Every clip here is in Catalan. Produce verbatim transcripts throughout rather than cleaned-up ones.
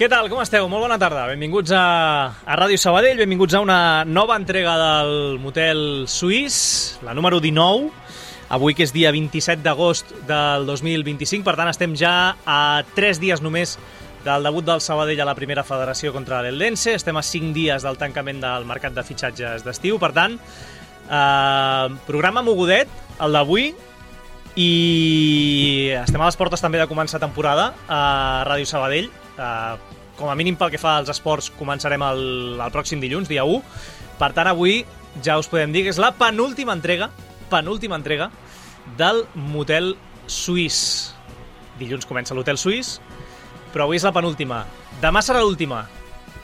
Què tal, com esteu? Molt bona tarda. Benvinguts a, a Ràdio Sabadell, benvinguts a una nova entrega del Motel Suís, la número dinou, avui que és dia vint-i-set d'agost del dos mil vint-i-cinc, per tant estem ja a tres dies només del debut del Sabadell a la primera federació contra l'Eldense, estem a cinc dies del tancament del mercat de fitxatges d'estiu, per tant, eh, programa mogudet, el d'avui, i estem a les portes també de començar temporada a Ràdio Sabadell. Uh, com a mínim pel que fa als esports començarem el, el pròxim dilluns, dia u. Per tant, avui ja us podem dir que és la penúltima entrega penúltima entrega del Motel Suís. Dilluns comença l'Hotel Suís, però avui és la penúltima. Demà serà l'última,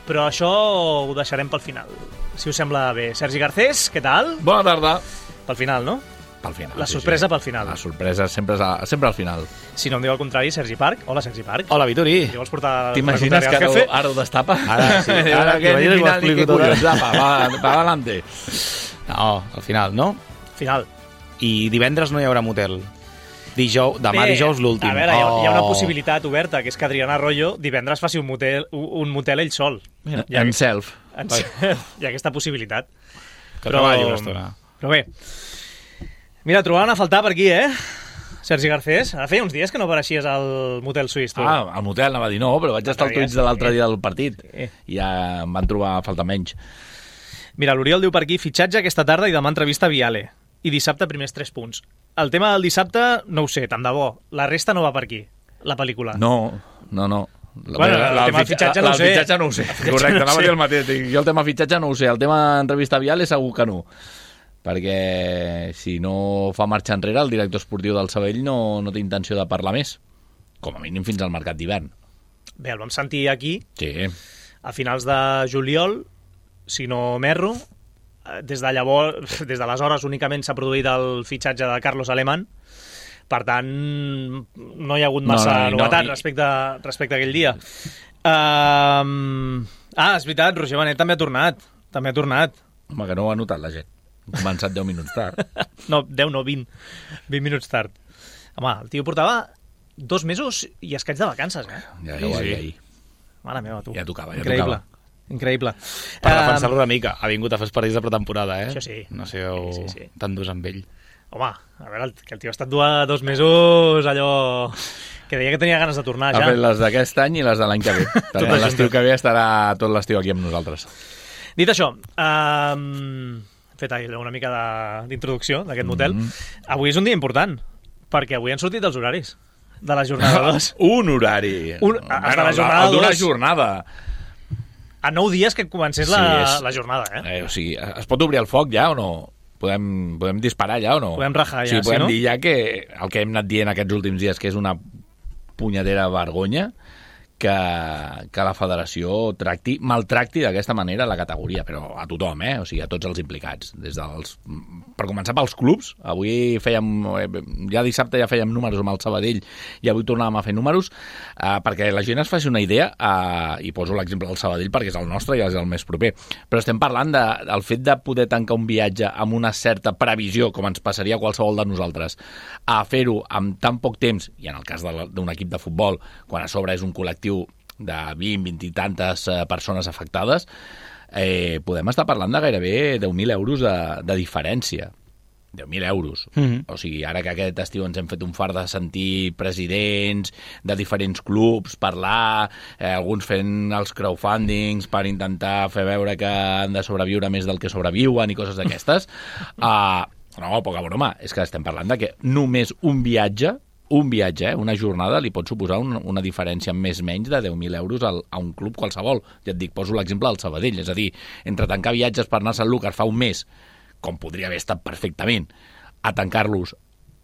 però això ho deixarem pel final, si us sembla bé. Sergi Garcés, què tal? Bona tarda. Pel final, no? Pel final. La sorpresa sí, sí. Pel final. La sorpresa sempre, és a, sempre al final. Si no em diu el contrari, Sergi Parc. Hola, Sergi Parc. Hola, Vituri. Si vols portar... T'imagines que ara, ara ho destapa? Ara sí. Ara que ni final ni que collons. Apa, va, va adelante. No, al final, no? Final. I divendres no hi haurà motel. Dijous, demà Bé, dijous l'últim. A veure, oh. hi ha una Oh. possibilitat oberta, que és que Adriana Arroyo divendres faci un motel, un motel ell sol. Mira, en self. En self. Hi ha aquesta possibilitat. Que treballi una estona. Però bé, mira, trobaven a faltar per aquí, eh? Sergi Garcés, ara feia uns dies que no apareixies al Motel Suís, tu. Ah, al motel anava a dir no, però vaig estar al tuits de l'altre dia del partit. Sí. I ja em van trobar a faltar menys. Mira, l'Oriol diu per aquí, fitxatge aquesta tarda i demà entrevista a Viale. I dissabte primers tres punts. El tema del dissabte, no ho sé, tant de bo. La resta no va per aquí, la pel·lícula. No, no, no. Bueno, el tema del fitxatge no ho sé. El fitxatge no ho sé. Correcte, anava a dir el mateix. Jo el tema fitxatge no ho sé. El tema entrevista a Viale segur que no. Perquè si no fa marxa enrere el director esportiu del Sabadell no, no té intenció de parlar més, com a mínim fins al mercat d'hivern. Bé, el vam sentir aquí sí. a finals de juliol, si no m'erro. Des de llavors, des d'aleshores únicament s'ha produït el fitxatge de Carlos Alemán, per tant no hi ha hagut massa no, no, novetat no, i... respecte, respecte a aquell dia. Uh... Ah, és veritat, Roger Benet també ha tornat també ha tornat. Home, que no ho ha notat la gent. Ha començat deu minuts tard. No, deu no, vint. vint minuts tard. Home, el tio portava dos mesos i escaig de vacances, eh? Ja, ja ho va dir ahir. Mare meva, tu. Ja tocava, ja Increïble. tocava. Increïble. Per defensar-lo una mica. Ha vingut a fer els partits de pretemporada, eh? Això sí. No sé o... sí, sí, sí. tan durs amb ell. Home, a veure, que el tio ha estat dos mesos allò... que deia que tenia ganes de tornar, ja. Ha fet les d'aquest any i les de l'any que ve. Per tant, l'estiu que ve estarà tot l'estiu aquí amb nosaltres. Dit això, um, he fet una mica d'introducció d'aquest motel. Mm-hmm. Avui és un dia important, perquè avui han sortit els horaris de la jornada dos. Un horari. Un, bueno, de la jornada d'una dos. jornada. A nou dies que comencés la, sí, és, la jornada, eh? eh? O sigui, es pot obrir el foc ja o no? Podem, podem disparar ja o no? Podem rajar ja, sí, podem sí, no? dir ja que el que hem anat dient aquests últims dies, que és una punyetera vergonya que, que la federació tracti, maltracti d'aquesta manera la categoria, però a tothom, eh? O sigui, a tots els implicats. Des dels, per començar pels clubs, avui fèiem, ja dissabte ja fèiem números amb el Sabadell i avui tornàvem a fer números, eh, perquè la gent es faci una idea, eh, i poso l'exemple del Sabadell perquè és el nostre i és el més proper, però estem parlant de, del fet de poder tancar un viatge amb una certa previsió, com ens passaria a qualsevol de nosaltres, a fer-ho amb tan poc temps, i en el cas d'un equip de futbol, quan a sobre és un col·lectiu de vint, vint i tantes persones afectades, eh, podem estar parlant de gairebé deu mil euros de, de diferència. deu mil euros. Mm-hmm. O sigui, ara que aquest estiu ens hem fet un fart de sentir presidents de diferents clubs parlar, eh, alguns fent els crowdfundings per intentar fer veure que han de sobreviure més del que sobreviuen i coses d'aquestes. uh, no, poca broma. És que estem parlant de que només un viatge un viatge, eh, una jornada, li pot suposar un, una diferència més menys de deu mil euros al, a un club qualsevol. Ja et dic, poso l'exemple del Sabadell, és a dir, entre tancar viatges per anar a Sant Lucas fa un mes, com podria haver estat perfectament, a tancar-los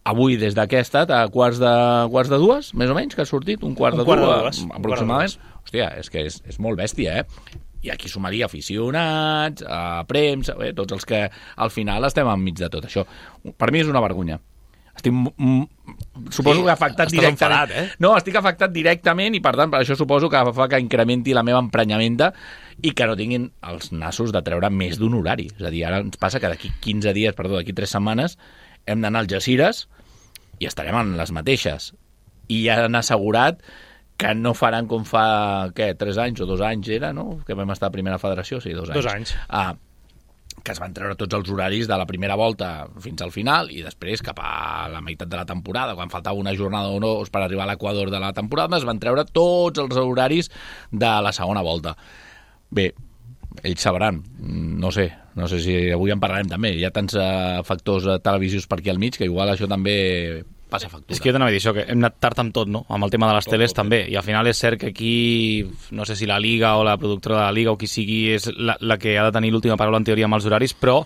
avui des d'aquesta a quarts de, quarts de dues, més o menys, que ha sortit, un quart, un de, quart dues, de dues, aproximadament. Hòstia, és que és, és molt bèstia, eh? I aquí sumaria aficionats, a premsa, eh, tots els que al final estem enmig de tot això. Per mi és una vergonya. Estic, mm, suposo sí, que afectat directament. Enfadat, eh? No, estic afectat directament i per tant per això suposo que fa que incrementi la meva emprenyamenta i que no tinguin els nassos de treure més d'un horari. És a dir, ara ens passa que d'aquí quinze dies, perdó, d'aquí tres setmanes hem d'anar al Algesires i estarem en les mateixes. I ja han assegurat que no faran com fa, què, tres anys o dos anys era, no?, que vam estar a primera federació, sí, dos anys. Dos anys. Ah, que es van treure tots els horaris de la primera volta fins al final i després cap a la meitat de la temporada, quan faltava una jornada o dos per arribar a l'equador de la temporada, es van treure tots els horaris de la segona volta. Bé, ells sabran, no sé, no sé si avui en parlarem també, hi ha tants uh, factors uh, televisius per aquí al mig que igual això també passa factura. És que jo t'anava a dir això, que hem anat tard amb tot, no? Amb el tema de les tot, teles tot, també, i al final és cert que aquí, no sé si la Liga o la productora de la Liga o qui sigui és la, la que ha de tenir l'última paraula en teoria amb els horaris, però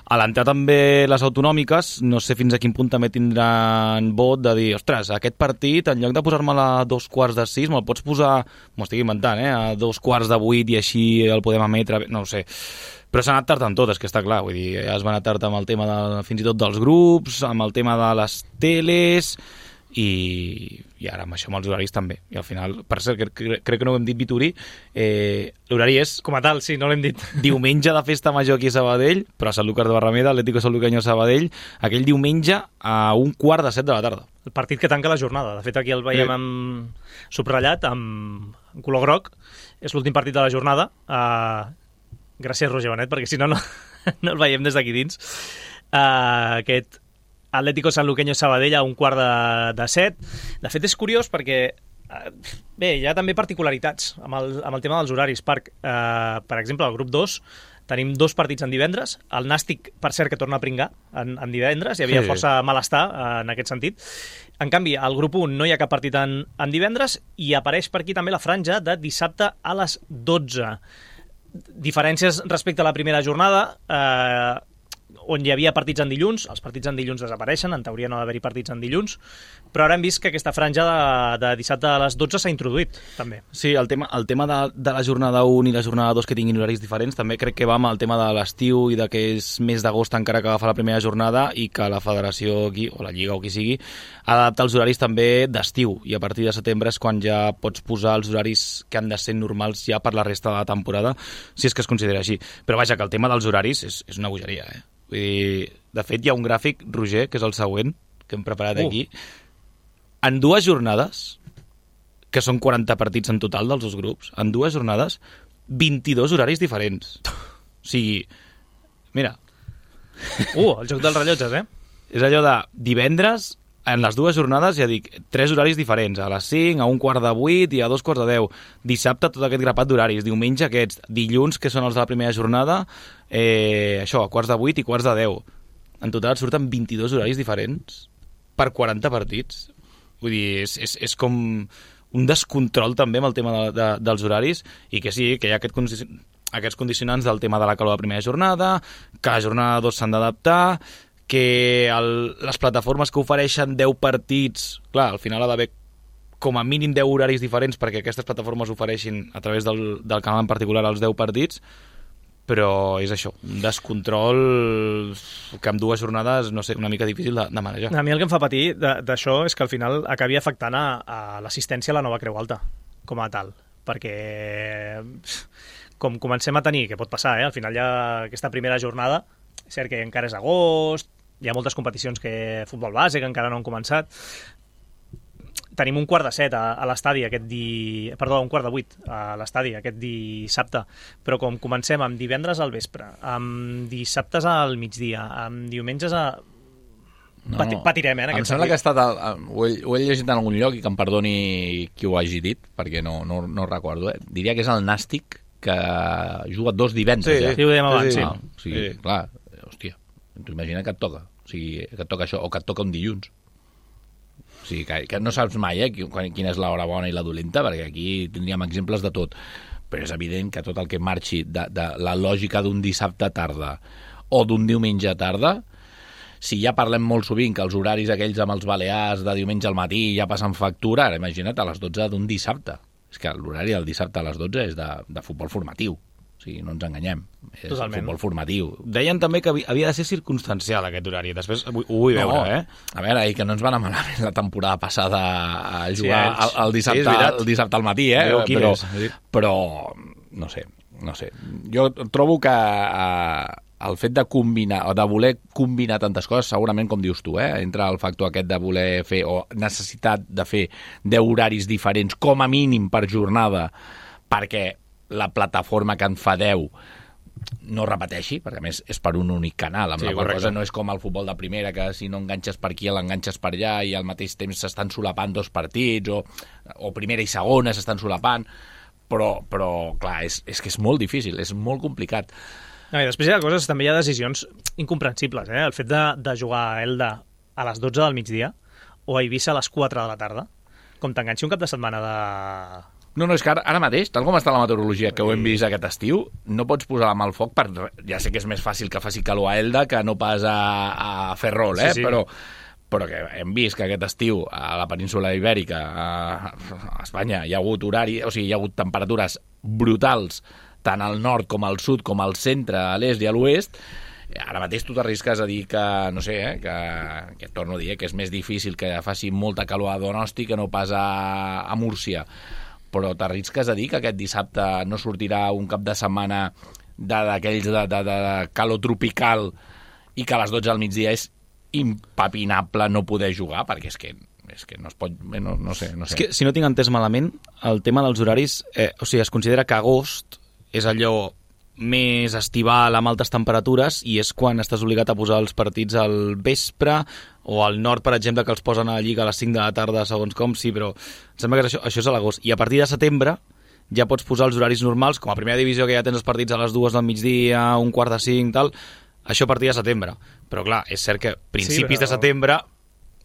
a l'entrar també les autonòmiques, no sé fins a quin punt també tindran vot de dir, ostres, aquest partit, en lloc de posar-me-la a dos quarts de sis, me'l pots posar, m'ho estic inventant, eh, a dos quarts de vuit i així el podem emetre, no ho sé. Però s'ha anat tard amb tot, és que està clar, vull dir, ja es va anar tard amb el tema de, fins i tot dels grups, amb el tema de les teles, i, i ara amb això amb els horaris també. I al final, per cert, crec, crec, crec que no ho hem dit, Vituri, eh, l'horari és... Com a tal, sí, no l'hem dit. Diumenge de festa major aquí a Sabadell, però a Sant Lucas de Barrameda, Atlético Sanluqueño Sabadell, aquell diumenge a un quart de set de la tarda. El partit que tanca la jornada. De fet, aquí el veiem amb subratllat, amb en color groc. És l'últim partit de la jornada. Uh, gràcies, Roger Benet, perquè si no, no, no el veiem des d'aquí dins. Uh, aquest Atlético Sanluqueño Sabadell a un quart de, de set. De fet, és curiós perquè uh, bé, hi ha també particularitats amb el, amb el tema dels horaris. Per, uh, per exemple, al grup dos tenim dos partits en divendres. El Nàstic, per cert, que torna a pringar en, en divendres. Hi havia sí. força malestar uh, en aquest sentit. En canvi, al grup un no hi ha cap partit en, en divendres i apareix per aquí també la franja de dissabte a les dotze. Diferències respecte a la primera jornada, eh, on hi havia partits en dilluns. Els partits en dilluns desapareixen, en teoria no ha d'haver-hi partits en dilluns, però ara hem vist que aquesta franja de, de dissabte a les dotze s'ha introduït, també. Sí, el tema, el tema de, de la jornada un i la jornada dos que tinguin horaris diferents, també crec que va amb el tema de l'estiu i de que és mes d'agost encara que agafa la primera jornada i que la federació aquí, o la Lliga o qui sigui, ha d'adaptar els horaris també d'estiu, i a partir de setembre és quan ja pots posar els horaris que han de ser normals ja per la resta de la temporada, si és que es considera així. Però vaja, que el tema dels horaris és, és una bogeria, eh? Vull dir, de fet, hi ha un gràfic, Roger, que és el següent, que hem preparat uh. aquí. En dues jornades, que són quaranta partits en total dels dos grups, en dues jornades, vint-i-dos horaris diferents. O sigui, mira... Uh, el joc dels rellotges, eh? És allò de divendres, en les dues jornades, ja dic, tres horaris diferents, a les cinc, a un quart de vuit i a dos quarts de deu. Dissabte, tot aquest grapat d'horaris. Diumenge, aquests. Dilluns, que són els de la primera jornada, eh, això, a quarts de vuit i quarts de deu. En total surten vint-i-dos horaris diferents per quaranta partits. Vull dir, és, és, és com un descontrol també amb el tema de, de, dels horaris, i que sí, que hi ha aquest condici... aquests condicionants del tema de la calor de la primera jornada, que la jornada dos s'han d'adaptar, que el, les plataformes que ofereixen deu partits, clar, al final ha d'haver com a mínim deu horaris diferents perquè aquestes plataformes ofereixin a través del, del canal en particular els deu partits, però és això, un descontrol que amb dues jornades, no sé, una mica difícil de, de manejar. A mi el que em fa patir d'això és que al final acabi afectant a, a l'assistència a la nova Creu Alta, com a tal, perquè com comencem a tenir, que pot passar, eh? Al final hi ha aquesta primera jornada, és cert que encara és agost, hi ha moltes competicions que futbol base que encara no han començat. Tenim un quart de set a, a l'estadi aquest di... Perdó, un quart de vuit a l'estadi aquest dissabte, però com comencem amb divendres al vespre, amb dissabtes al migdia, amb diumenges a... No, Pati, patirem, eh, en em aquest sembla sentit. que ha estat el, ho, he, ho he llegit en algun lloc i que em perdoni qui ho hagi dit, perquè no, no, no recordo, eh? Diria que és el Nàstic, que juga dos divendres. Sí, ja. sí, ho dèiem abans, sí. Ah, o sigui, sí. Clar, hòstia, t'ho imagina que et toca, o sigui, que et toca això, o que et toca un dilluns. O sigui, que, que no saps mai eh, quina és l'hora bona i la dolenta, perquè aquí tindríem exemples de tot, però és evident que tot el que marxi de, de la lògica d'un dissabte tarda o d'un diumenge tarda, si ja parlem molt sovint que els horaris aquells amb els balears de diumenge al matí ja passen factura, ara imagina't a les dotze d'un dissabte. És que l'horari del dissabte a les dotze és de, de futbol formatiu. O sigui, no ens enganyem. És Totalment. Futbol formatiu. Deien també que havia de ser circumstancial aquest horari. Després ho, ho vull veure, no, eh? A veure, i que no ens van anar malament la temporada passada a jugar sí, el, el, dissabte, sí, el dissabte al matí, eh? Però, però, no sé, no sé. Jo trobo que... Eh, el fet de combinar, o de voler combinar tantes coses, segurament, com dius tu, eh? Entra el factor aquest de voler fer, o necessitat de fer deu horaris diferents, com a mínim per jornada, perquè la plataforma que en fa deu no repeteixi, perquè a més és per un únic canal, amb sí, la qual cosa no és com el futbol de primera, que si no enganxes per aquí l'enganxes per allà i al mateix temps s'estan solapant dos partits, o, o primera i segona s'estan solapant, però, però clar, és, és que és molt difícil, és molt complicat. No, i després hi ha coses, també hi ha decisions incomprensibles, eh? El fet de, de jugar a Elda a les dotze del migdia o a Eivissa a les quatre de la tarda, com t'enganxi un cap de setmana de... No, no, és que ara, ara mateix, tal com està la meteorologia que ho hem vist aquest estiu, no pots posar la mà al foc per... Ja sé que és més fàcil que faci calor a Elda que no pas a, a Ferrol, eh? Sí, sí. Però, però que hem vist que aquest estiu a la península Ibèrica, a, a Espanya, hi ha hagut horari, o sigui, hi ha hagut temperatures brutals tant al nord com al sud, com al centre, a l'est i a l'oest. Ara mateix tu t'arrisques a dir que, no sé, eh, que, que torno a dir, eh, que és més difícil que faci molta calor a Donosti que no pas a, a Múrcia. Però t'arrisques a dir que aquest dissabte no sortirà un cap de setmana d'aquells de, de, de, de calor tropical i que a les dotze del migdia és impepinable no poder jugar, perquè és que és que no es pot... No, no sé, no sé. És que, si no tinc entès malament, el tema dels horaris, eh, o sigui, es considera que agost és allò més estival amb altes temperatures i és quan estàs obligat a posar els partits al vespre, o al nord, per exemple, que els posen a la Lliga a les cinc de la tarda, segons com, sí, però em sembla que això, això és a l'agost. I a partir de setembre ja pots posar els horaris normals, com a primera divisió, que ja tens els partits a les dues del migdia, un quart de cinc, tal, això a partir de setembre. Però clar, és cert que principis sí, però... de setembre...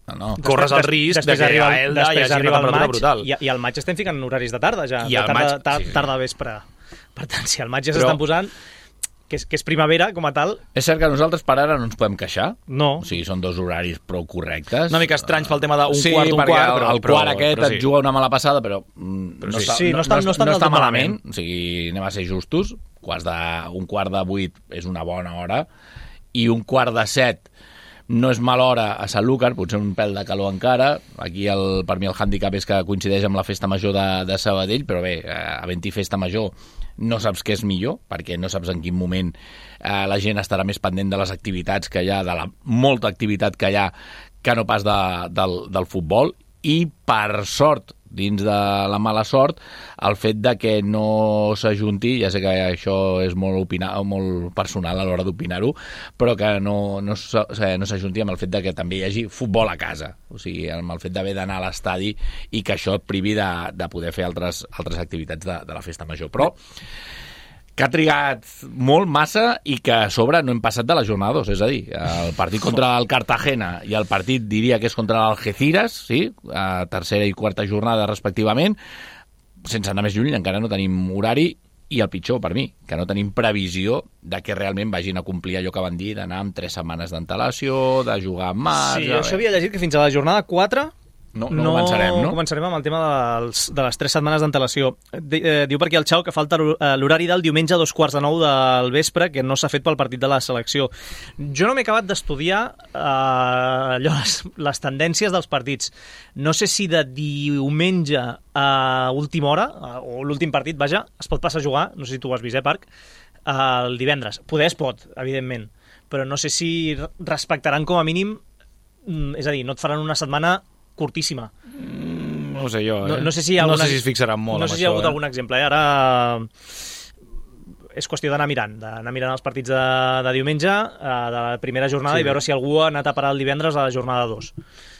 No, no. Corres el risc de que a Elda hi hagi una temperatura brutal. I, I al maig estem ficant horaris de tarda, ja. I de tarda, maig, tarda, sí. tarda vespre. Per tant, si al maig ja s'estan posant, que és, que és primavera com a tal... És cert que nosaltres per ara no ens podem queixar. No. O sigui, són dos horaris prou correctes. Una mica estranys pel tema d'un sí, quart, un quart, però... però... el quart aquest et sí. juga una mala passada, però, però no, sí, està, sí, no, està, no, està, no està malament. malament. O sigui, anem a ser justos. Quarts de, un quart de vuit és una bona hora i un quart de set no és mala hora a Sanlúcar, potser un pèl de calor encara. Aquí el, per mi el hàndicap és que coincideix amb la festa major de, de Sabadell, però bé, havent-hi festa major no saps què és millor, perquè no saps en quin moment eh, la gent estarà més pendent de les activitats que hi ha, de la molta activitat que hi ha, que no pas de, del, del futbol. I per sort, dins de la mala sort, el fet de que no s'ajunti, ja sé que això és molt, opinar, molt personal a l'hora d'opinar-ho, però que no, no, no s'ajunti amb el fet de que també hi hagi futbol a casa, o sigui, amb el fet d'haver d'anar a l'estadi i que això et privi de, de poder fer altres, altres activitats de, de la festa major. Però que ha trigat molt, massa, i que a sobre no hem passat de la jornada dos, és a dir, el partit contra el Cartagena i el partit, diria que és contra l'Algeciras, sí, a tercera i quarta jornada respectivament, sense anar més lluny, encara no tenim horari, i el pitjor per mi, que no tenim previsió de que realment vagin a complir allò que van dir d'anar amb tres setmanes d'antelació, de jugar amb mà... Sí, jo això havia llegit que fins a la jornada quatre... No, no, no començarem, no? començarem amb el tema dels, de les tres setmanes d'antelació. Eh, diu per aquí el Xau que falta l'horari del diumenge a dos quarts de nou del vespre, que no s'ha fet pel partit de la selecció. Jo no m'he acabat d'estudiar eh, allò, les, les tendències dels partits. No sé si de diumenge a última hora, o l'últim partit, vaja, es pot passar a jugar, no sé si tu ho has vist, eh, Parc, el divendres. Poder es pot, evidentment, però no sé si respectaran com a mínim, és a dir, no et faran una setmana curtíssima. Mm, no ho sé jo, eh? No, no sé si, alguna, no sé si es fixaran molt no sé si hi ha hagut eh? algun exemple, eh? Ara és qüestió d'anar mirant, d'anar mirant els partits de, de diumenge, eh, de la primera jornada, sí, i veure si algú ha anat a parar el divendres a la jornada dos.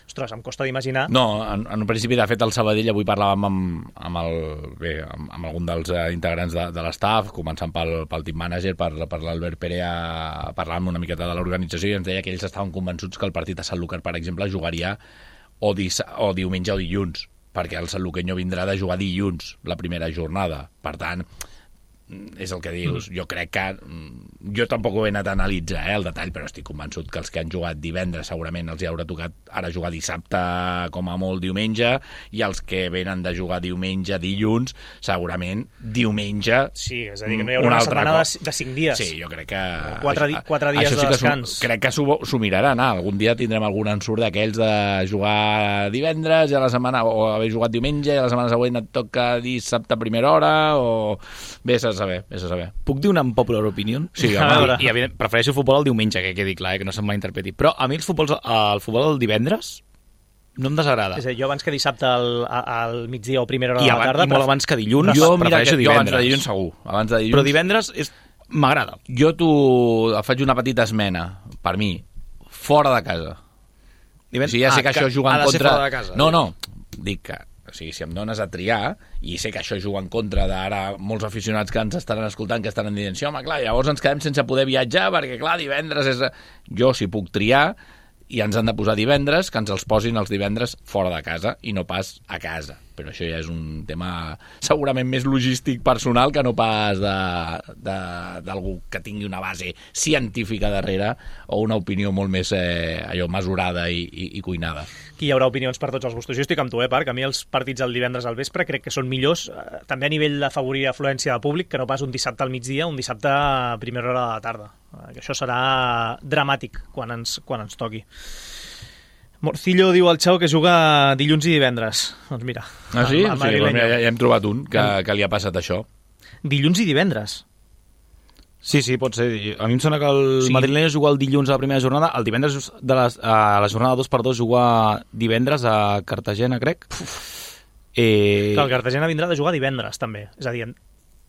Ostres, em costa d'imaginar. No, en, en un principi, de fet, el Sabadell, avui parlàvem amb, amb, el, bé, amb, amb algun dels eh, integrants de, de l'estaf, començant pel, pel team manager, per, per l'Albert Perea, parlàvem una miqueta de l'organització, i ens deia que ells estaven convençuts que el partit a Sanlúcar, per exemple, jugaria o, dis, o diumenge o dilluns, perquè el sanluqueño vindrà de jugar dilluns la primera jornada. Per tant, és el que dius. Jo crec que... Jo tampoc ho he anat a analitzar, eh, el detall, però estic convençut que els que han jugat divendres segurament els hi haurà tocat ara jugar dissabte com a molt diumenge, i els que venen de jugar diumenge, dilluns, segurament diumenge... Sí, és a dir, que no hi haurà una, una setmana de, de cinc dies. Sí, jo crec que... Quatre, di quatre dies sí de descans. Crec que s'ho miraran. Ah, algun dia tindrem algun ensurt d'aquells de jugar divendres i a la setmana, o haver jugat diumenge i a la setmana següent et toca dissabte a primera hora, o... Bé, se a saber, és a saber. Puc dir una popular opinion? Sí, a veure. I, i evident, prefereixo el futbol el diumenge, que quedi clar, eh, que no se'm malinterpreti. Però a mi el futbol, el futbol del divendres no em desagrada. És a dir, jo abans que dissabte al, al migdia o primera hora I, de la abans, tarda... i molt abans que dilluns, Jo, mira, prefereixo que, jo divendres. abans de dilluns segur. Abans de dilluns... Però divendres és... m'agrada. Jo t'ho... faig una petita esmena, per mi, fora de casa. Divendres... O sigui, ja sé ah, que això juga en ha de ser contra... fora de casa. No, no, dic que... O sigui, si em dones a triar, i sé que això juga en contra d'ara molts aficionats que ens estaran escoltant, que estaran dient, sí, home, clar, llavors ens quedem sense poder viatjar, perquè, clar, divendres és... Jo, si puc triar, i ens han de posar divendres, que ens els posin els divendres fora de casa, i no pas a casa. Però això ja és un tema segurament més logístic personal que no pas d'algú que tingui una base científica darrere o una opinió molt més eh, allò mesurada i, i, i cuinada. Aquí hi haurà opinions per tots els gustos. Jo estic amb tu, eh, Parc? A mi els partits el divendres al vespre crec que són millors, eh, també a nivell d'afavorir afluència de públic, que no pas un dissabte al migdia, un dissabte a primera hora de la tarda. Eh, que això serà dramàtic quan ens, quan ens toqui. Morcillo diu al Xau que juga dilluns i divendres. Doncs mira. Ah, sí? El, el sí doncs mira, ja, ja hem trobat un que, que li ha passat això. Dilluns i divendres? Sí, sí, pot ser. A mi em sona que el Sí. sí. madrileny juga el dilluns a la primera jornada, el divendres de les, a la jornada dos per dos juga divendres a Cartagena, crec. Eh... Que el Cartagena vindrà de jugar divendres, també. És a dir,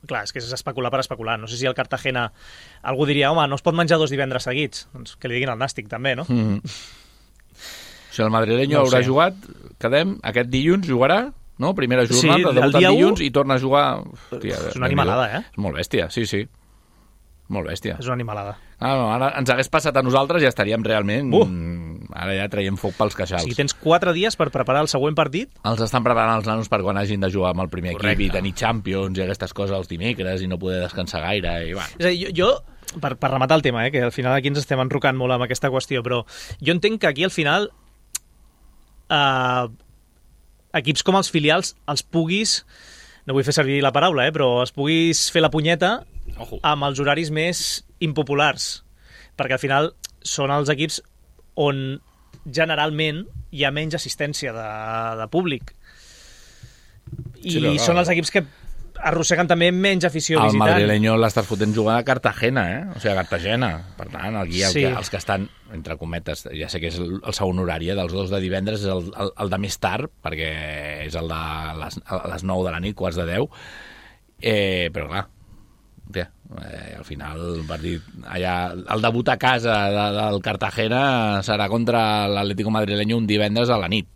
clar, és que és especular per especular. No sé si el Cartagena... Algú diria, home, no es pot menjar dos divendres seguits. Doncs que li diguin al Nàstic, també, no? Mm. O sigui, el madrileño No ho haurà sé. jugat, quedem, aquest dilluns jugarà, no? Primera Sí, jornada, el debuta dia el dilluns u- i torna a jugar... Hòstia, És una animalada, eh? És molt bèstia, sí, sí. Molt bèstia. És una animalada. Ah, no, ara ens hagués passat a nosaltres i ja estaríem realment... Uh! Ara ja traiem foc pels O queixals. sigui, tens quatre dies per preparar el següent partit? Els estan preparant els nanos per quan hagin de jugar amb el primer Correcte. equip i tenir Champions i aquestes coses els dimecres i no poder descansar gaire i bueno. És a dir, jo, jo per, per rematar el tema, eh, que al final aquí ens estem enrocant molt amb aquesta qüestió, però jo entenc que aquí al final eh, equips com els filials els puguis, no vull fer servir la paraula, eh, però els puguis fer la punyeta Ojo. amb els horaris més impopulars, perquè al final són els equips on generalment hi ha menys assistència de, de públic. I Sí, però, són clar. els equips que arrosseguen també menys afició El visitant. madrileño l'estàs fotent jugar a Cartagena, eh? O sigui, a Cartagena. Per tant, aquí el Sí. que, els que estan, entre cometes, ja sé que és el, el segon horari, eh, dels dos de divendres, és el, el, el de més tard, perquè és el de les, a les nou de la nit, quarts de deu. Eh, però clar, hòstia, eh, al final el partit allà, el debut a casa de, del Cartagena serà contra l'Atlético madrileño un divendres a la nit.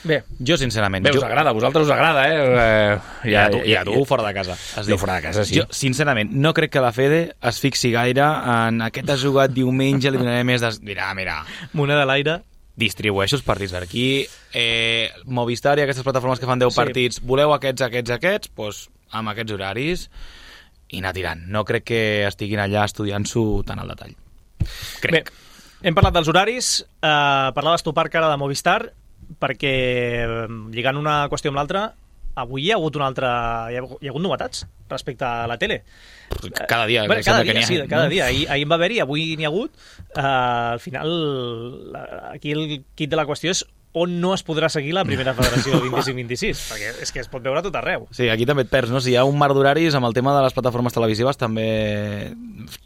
Bé, Jo, sincerament... Bé, us jo... agrada, a vosaltres us agrada, eh? eh I a tu, i a tu fora de casa. Has Jo dit. fora de casa, sí. Jo, sincerament, no crec que la Fede es fixi gaire en aquest ha jugat diumenge, li donaré més de... Mira, mira, moneda a l'aire. distribueixo els partits per aquí. Eh, Movistar i aquestes plataformes que fan deu Sí. partits, voleu aquests, aquests, aquests, doncs amb aquests horaris i anar tirant. No crec que estiguin allà estudiant-s'ho tant al detall. Crec. Bé, hem parlat dels horaris, eh, parlaves tu, Parc, ara de Movistar, perquè eh, lligant una qüestió amb l'altra, avui hi ha hagut una altra... Hi ha, hi ha hagut novetats respecte a la tele. Cada dia. Bueno, que cada sembla dia, que n'hi ha, sí, cada no? dia. Ahir, ahir en va haver-hi, avui n'hi ha hagut. Uh, al final, la- aquí el kit de la qüestió és on no es podrà seguir la primera federació vint-i-cinc vint-i-sis, perquè és que es pot veure a tot arreu. Sí, aquí també et perds, no? Si hi ha un mar d'horaris, amb el tema de les plataformes televisives també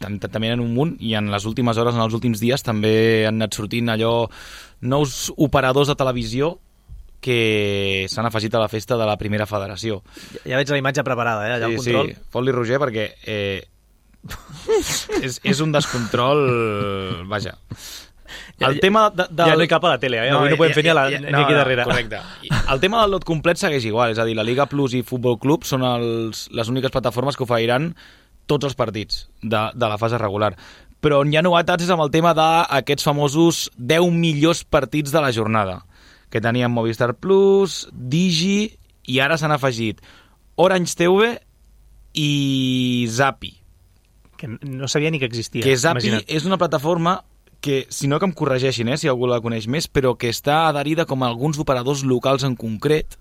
tam- tam- també en un munt, i en les últimes hores, en els últims dies, també han anat sortint allò nous operadors de televisió que s'han afegit a la festa de la primera federació. Ja, ja veig la imatge preparada, eh, allà al Sí, control. sí, fot-li Roger perquè eh, és, és un descontrol... Vaja. El Ja- tema de, de, Ja no hi cap a la tele, eh? Avui no podem fer ni, a la, ni aquí darrere. Correcte. I el tema del lot complet segueix igual, és a dir, la Liga Plus i Futbol Club són els, les úniques plataformes que oferiran tots els partits de, de la fase regular. Però on hi ha novetats és amb el tema d'aquests famosos deu millors partits de la jornada, que teníem Movistar Plus, Digi, i ara s'han afegit Orange T V i Zapi. Que no sabia ni que existia. Que Zapi imagina't. és una plataforma que, si no que em corregeixin, eh, si algú la coneix més, però que està adherida com a alguns operadors locals en concret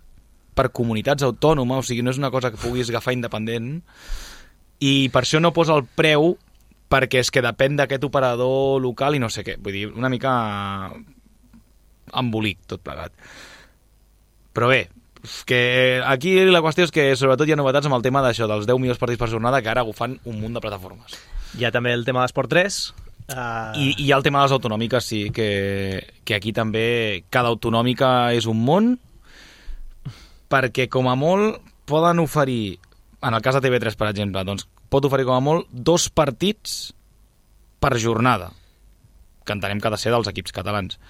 per comunitats autònomes, o sigui, no és una cosa que puguis agafar independent, i per això no posa el preu, perquè és que depèn d'aquest operador local i no sé què. Vull dir, una mica embolic tot plegat. Però bé, que aquí la qüestió és que sobretot hi ha novetats amb el tema d'això, dels deu millors partits per jornada, que ara agafant un munt de plataformes. Hi ha també el tema d'Esport tres. Uh... I, I hi ha el tema de les autonòmiques, sí, que, que aquí també cada autonòmica és un món, perquè com a molt poden oferir, en el cas de T V tres, per exemple, doncs pot oferir com a molt dos partits per jornada, que entenem que ha de ser dels equips catalans.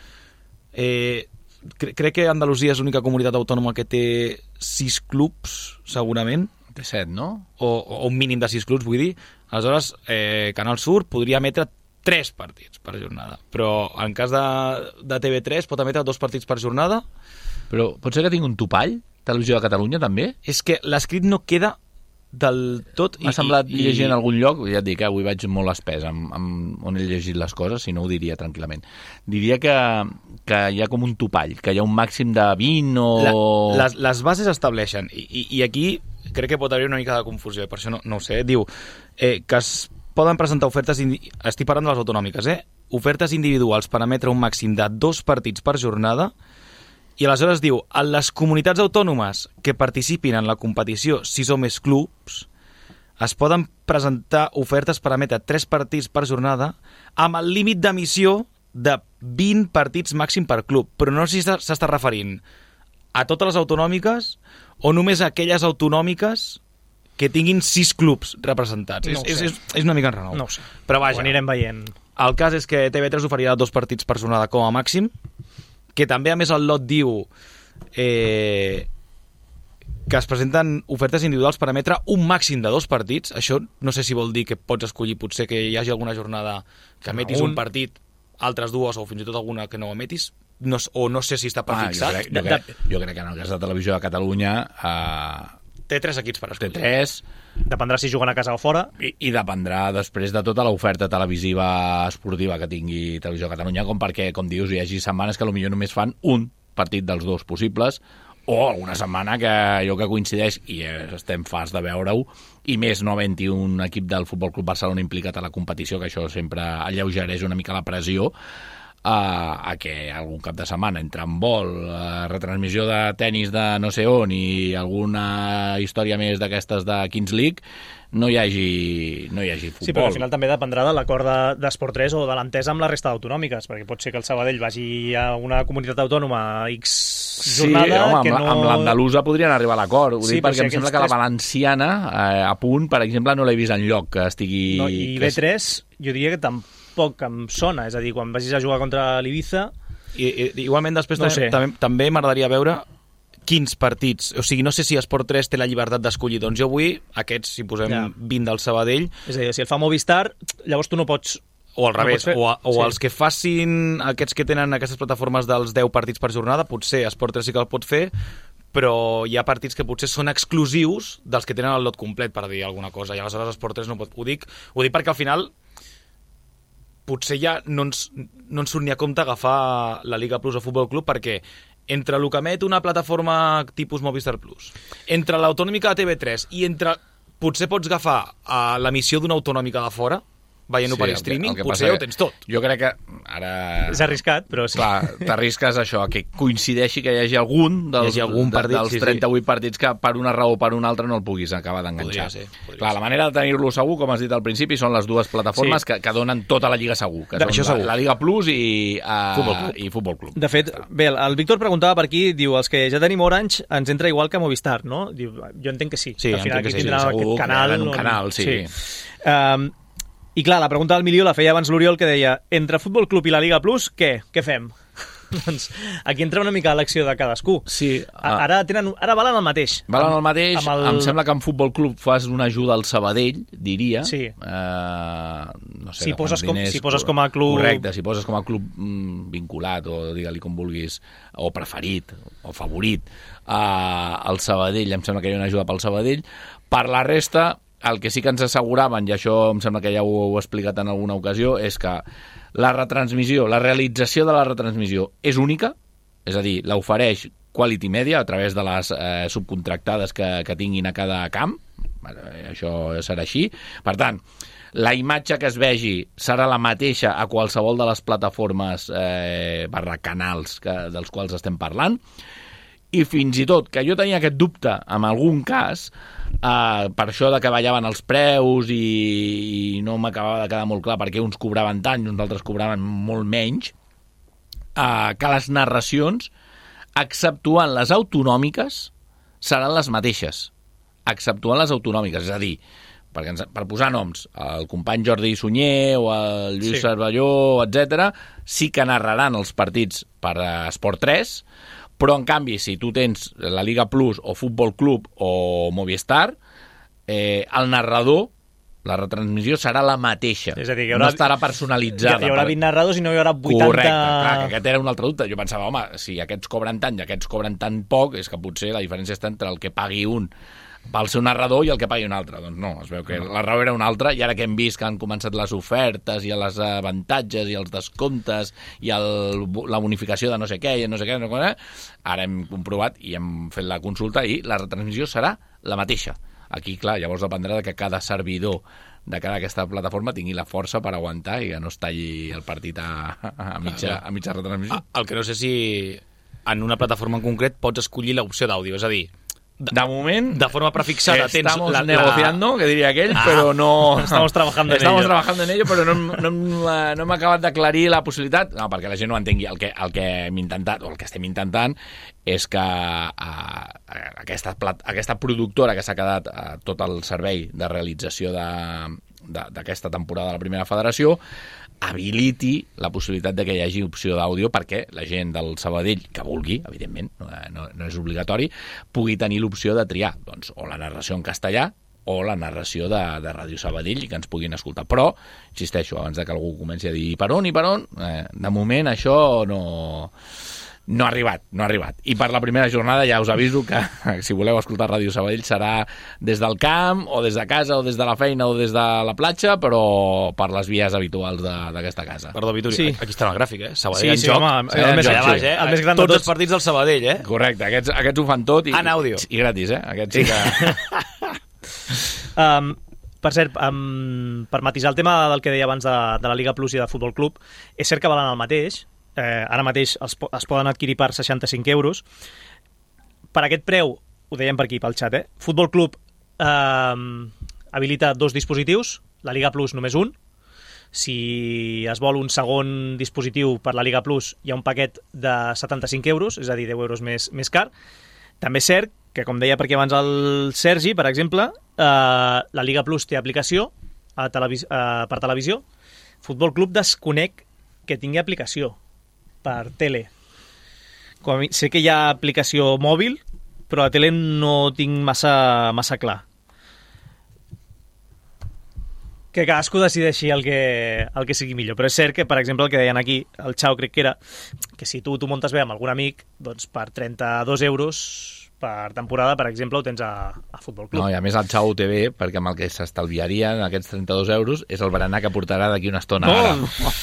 Eh, cre crec que Andalusia és l'única comunitat autònoma que té sis clubs, segurament. Té set, no? O, o un mínim de sis clubs, vull dir. Aleshores, eh, Canal Sur podria emetre tres partits per jornada, però en cas de, de T V tres pot emetre dos partits per jornada. Però pot ser que tingui un topall? Televisió de Catalunya, també? És que l'escrit no queda del tot... M'ha semblat i, llegir en algun lloc, ja et dic, eh, avui vaig molt espès amb, amb on he llegit les coses, si no ho diria tranquil·lament. Diria que, que hi ha com un topall, que hi ha un màxim de vint o... La, les, les bases estableixen, i, i, i aquí crec que pot haver una mica de confusió, per això no, no ho sé. Diu eh, que es poden presentar ofertes... Estic parlant de les autonòmiques, eh? Ofertes individuals per emetre un màxim de dos partits per jornada. I aleshores diu, en les comunitats autònomes que participin en la competició sis o més clubs, es poden presentar ofertes per emetre tres partits per jornada amb el límit d'emissió de vint partits màxim per club. Però no sé si s'està referint a totes les autonòmiques o només a aquelles autonòmiques que tinguin sis clubs representats. No és, és, és una mica enrenou. No ho sé. Però vaja, ho anirem veient. El cas és que T V tres oferirà dos partits per jornada com a màxim, que també, a més, el lot diu eh, que es presenten ofertes individuals per emetre un màxim de dos partits. Això no sé si vol dir que pots escollir potser que hi hagi alguna jornada que emetis un, un partit, altres dues, o fins i tot alguna que no emetis, no, o no sé si està prefixat. Ah, jo, crec, jo, crec, jo crec que en el cas de Televisió de Catalunya... Eh, té tres equips per escollir. Té tres... Dependrà si juguen a casa o fora. I, i dependrà després de tota l'oferta televisiva esportiva que tingui Televisió de Catalunya, com perquè, com dius, hi hagi setmanes que potser només fan un partit dels dos possibles, o alguna setmana que allò que coincideix, i estem fars de veure-ho, i més no havent-hi un equip del Futbol Club Barcelona implicat a la competició, que això sempre alleugereix una mica la pressió, a, a que algun cap de setmana entre en vol, uh, retransmissió de tennis de no sé on i alguna història més d'aquestes de Kings League, no hi hagi, no hi hagi futbol. Sí, però al final també dependrà de l'acord d'Esport tres o de l'entesa amb la resta d'autonòmiques, perquè pot ser que el Sabadell vagi a una comunitat autònoma X jornada... Sí, home, que amb, no... amb l'andalusa podrien arribar a l'acord. Ho sí, dic perquè si em sembla que tres... la valenciana, eh, a punt, per exemple, no l'he vist enlloc que estigui... No, i B tres, jo diria que tampoc em sona, és a dir, quan vagis a jugar contra l'Ibiza... I, i, igualment després no també, també, també m'agradaria veure quins partits, o sigui, no sé si Esport tres té la llibertat d'escollir, doncs jo vull aquests, si posem ja. vint del Sabadell... És a dir, si el fa Movistar, llavors tu no pots... O al revés, no o, a, o sí. els que facin aquests que tenen aquestes plataformes dels deu partits per jornada, potser Esport tres sí que el pot fer, però hi ha partits que potser són exclusius dels que tenen el lot complet, per dir alguna cosa, i aleshores Esport tres no pot... Ho dic, ho dic perquè al final potser ja no ens, no ens surt ni a compte agafar la Liga Plus o Futbol Club, perquè entre el que emet una plataforma tipus Movistar Plus, entre l'autonòmica de T V tres i entre... Potser pots agafar a l'emissió d'una autonòmica de fora, veient-ho sí, per streaming, que, que potser ja ho tens tot. Jo crec que ara... És arriscat, però sí. Clar, t'arrisques això, que coincideixi que hi hagi algun dels, hagi algun partit, dels sí, trenta-vuit sí. partits que per una raó o per una altra no el puguis acabar d'enganxar. Clar, ser. La manera de tenir-lo segur, com has dit al principi, són les dues plataformes sí. que, que donen tota la Lliga segur, que de, són la, segur. la Liga Plus i, uh, Futbol Club. i Futbol Club. De fet, bé, el Víctor preguntava per aquí, diu, els que ja tenim Orange ens entra igual que Movistar, no? Diu, jo entenc que sí. Sí, al final entenc que sí, tindrà segur, aquest canal. Un canal, sí. sí. Um, I clar, la pregunta del milió la feia abans l'Oriol, que deia, entre Futbol Club i la Liga Plus, què? Què fem? Doncs aquí entra una mica l'acció de cadascú. Sí. Uh, ara, tenen, ara valen el mateix. Valen el mateix. El... Em sembla que en Futbol Club fas una ajuda al Sabadell, diria. Sí. Uh, no sé, si, poses com, diners, si poses com a club... Correcte, si poses com a club mm, vinculat, o digue-li com vulguis, o preferit, o favorit, uh, al Sabadell, em sembla que hi ha una ajuda pel Sabadell. Per la resta... El que sí que ens asseguraven, i això em sembla que ja ho heu explicat en alguna ocasió, és que la retransmissió, la realització de la retransmissió és única, és a dir, l'ofereix Quality Media a través de les eh, subcontractades que, que tinguin a cada camp, això serà així. Per tant, la imatge que es vegi serà la mateixa a qualsevol de les plataformes eh, barra canals que, dels quals estem parlant, i fins i tot que jo tenia aquest dubte en algun cas, eh, per això de que ballaven els preus i, i no m'acabava de quedar molt clar perquè uns cobraven tant i uns altres cobraven molt menys, eh, que les narracions, exceptuant les autonòmiques, seran les mateixes, exceptuant les autonòmiques, és a dir, perquè ens, per posar noms, el company Jordi Sunyer o el Lluís sí. Cervelló, etcètera, sí que narraran els partits per Esport tres, però en canvi, si tu tens la Liga Plus o Futbol Club o Movistar, eh, el narrador, la retransmissió serà la mateixa. És a dir, que hi haurà, no estarà personalitzada. Hi haurà vint narradors i no hi haurà vuitanta... Correcte, clar, que aquest era un altre dubte. Jo pensava, home, si aquests cobren tant i aquests cobren tan poc, és que potser la diferència està entre el que pagui un pel seu narrador i el que pagui un altre. Doncs no, es veu que la raó era una altra, i ara que hem vist que han començat les ofertes i els avantatges i els descomptes i el, la bonificació de no sé què i no sé què, no sé què, ara hem comprovat i hem fet la consulta i la retransmissió serà la mateixa. Aquí, clar, llavors dependrà de que cada servidor de cada aquesta plataforma tingui la força per aguantar i que no es talli el partit a, a, mitja, a mitja retransmissió. El que no sé si en una plataforma en concret pots escollir l'opció d'àudio, és a dir, De, de moment, de forma prefixada, tens estamos la, negociando, la... que diría aquell, ah, pero no... Estamos trabajando en estamos ello. trabajando en ello, però no, no, no hem acabat d'aclarir la possibilitat, no, perquè la gent no entengui. El que, el que hem intentat, o el que estem intentant, és que uh, aquesta, plat, aquesta productora que s'ha quedat uh, tot el servei de realització d'aquesta temporada de la Primera Federació habiliti la possibilitat de que hi hagi opció d'àudio perquè la gent del Sabadell, que vulgui, evidentment, no, no, no és obligatori, pugui tenir l'opció de triar doncs, o la narració en castellà o la narració de, de Ràdio Sabadell i que ens puguin escoltar. Però, insisteixo, abans de que algú comenci a dir per on i per on, eh, de moment això no... No ha arribat, no ha arribat. I per la primera jornada ja us aviso que si voleu escoltar Ràdio Sabadell serà des del camp, o des de casa, o des de la feina, o des de la platja, però per les vies habituals d'aquesta casa. Perdó, Vituri, sí. Aquí està el gràfic, eh? sí, Sabadell en sí, joc. Home, eh, el, més, joc baix, eh? el més gran tots de tots els partits del Sabadell, eh? Correcte, aquests, aquests ho fan tot i, en àudio. I, i gratis, eh? Aquests sí que... um, per cert, um, per matisar el tema del que deia abans de, de la Liga Plus i de Futbol Club, és cert que valen el mateix. Eh, ara mateix es, es poden adquirir per seixanta-cinc euros. Per aquest preu, ho dèiem per aquí, pel xat, eh? Futbol Club eh, habilita dos dispositius, la Liga Plus només un. Si es vol un segon dispositiu per la Liga Plus, hi ha un paquet de setanta-cinc euros, és a dir, deu euros més, més car. També és cert que, com deia per aquí abans el Sergi, per exemple, eh, la Liga Plus té aplicació a televis eh, per televisió. Futbol Club desconec que tingui aplicació per tele. Com a mi, sé que hi ha aplicació mòbil, però a tele no tinc massa, massa clar. Que cadascú decideixi el que, el que sigui millor. Però és cert que, per exemple, el que deien aquí, el Xau crec que era, que si tu t'ho muntes bé amb algun amic, doncs per trenta-dos euros per temporada, per exemple, ho tens a, a Futbol Club. No, i a més el Xau ho té bé, perquè amb el que s'estalviarien aquests trenta-dos euros és el berenar que portarà d'aquí una estona. No. Ara.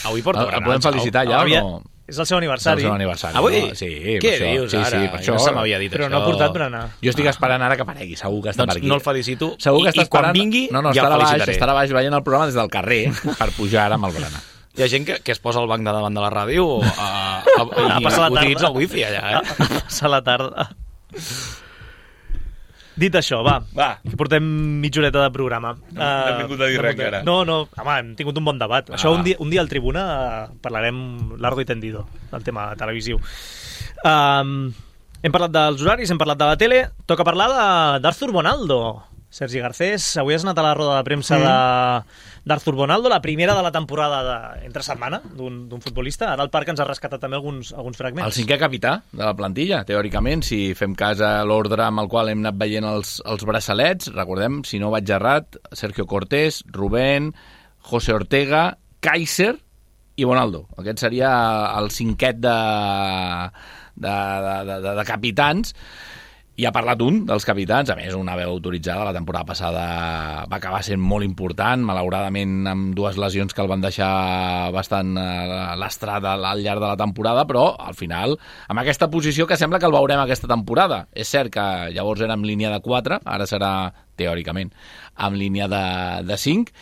Avui porta berenar. El podem felicitar ja Havia... o no? És el seu aniversari. És el seu aniversari. Avui? No? Sí, què això, dius sí, ara? Sí, per això, no se m'havia dit però això. no ha portat berenar. Jo estic esperant ara que aparegui, segur que està doncs per aquí. No el felicito. Segur que I, està i quan esperant... vingui no, no, ja el estarà baix, felicitaré. estarà baix veient el programa des del carrer per pujar ara amb el berenar. Hi ha gent que, que es posa al banc de davant de la ràdio a, a, a, a passar la tarda. Utilitza el wifi allà, eh? A passar la tarda. Dit això, va, Va. que portem mitja horeta de programa. No, no hem vingut a dir res, encara. No, no, home, hem tingut un bon debat. Ah. Això un dia, un dia al Tribuna uh, parlarem largo i tendido del tema televisiu. Um, hem parlat dels horaris, hem parlat de la tele, toca parlar d'Arthur Bonaldo. Sergi Garcés, avui has anat a la roda de premsa mm. d'Arthur Bonaldo, la primera de la temporada de, entre setmana d'un futbolista. Ara el Parc ens ha rescatat també alguns, alguns fragments. El cinquè capità de la plantilla, teòricament, si fem cas a l'ordre amb el qual hem anat veient els, els braçalets. Recordem, si no vaig errat, Sergio Cortés, Rubén, José Ortega, Kaiser i Bonaldo. Aquest seria el cinquet de, de, de, de, de capitans. I ha parlat un dels capitans, a més una veu autoritzada. La temporada passada va acabar sent molt important, malauradament amb dues lesions que el van deixar bastant lastrat al llarg de la temporada, però al final amb aquesta posició que sembla que el veurem aquesta temporada. És cert que llavors era en línia de quatre, ara serà teòricament en línia de, de cinc,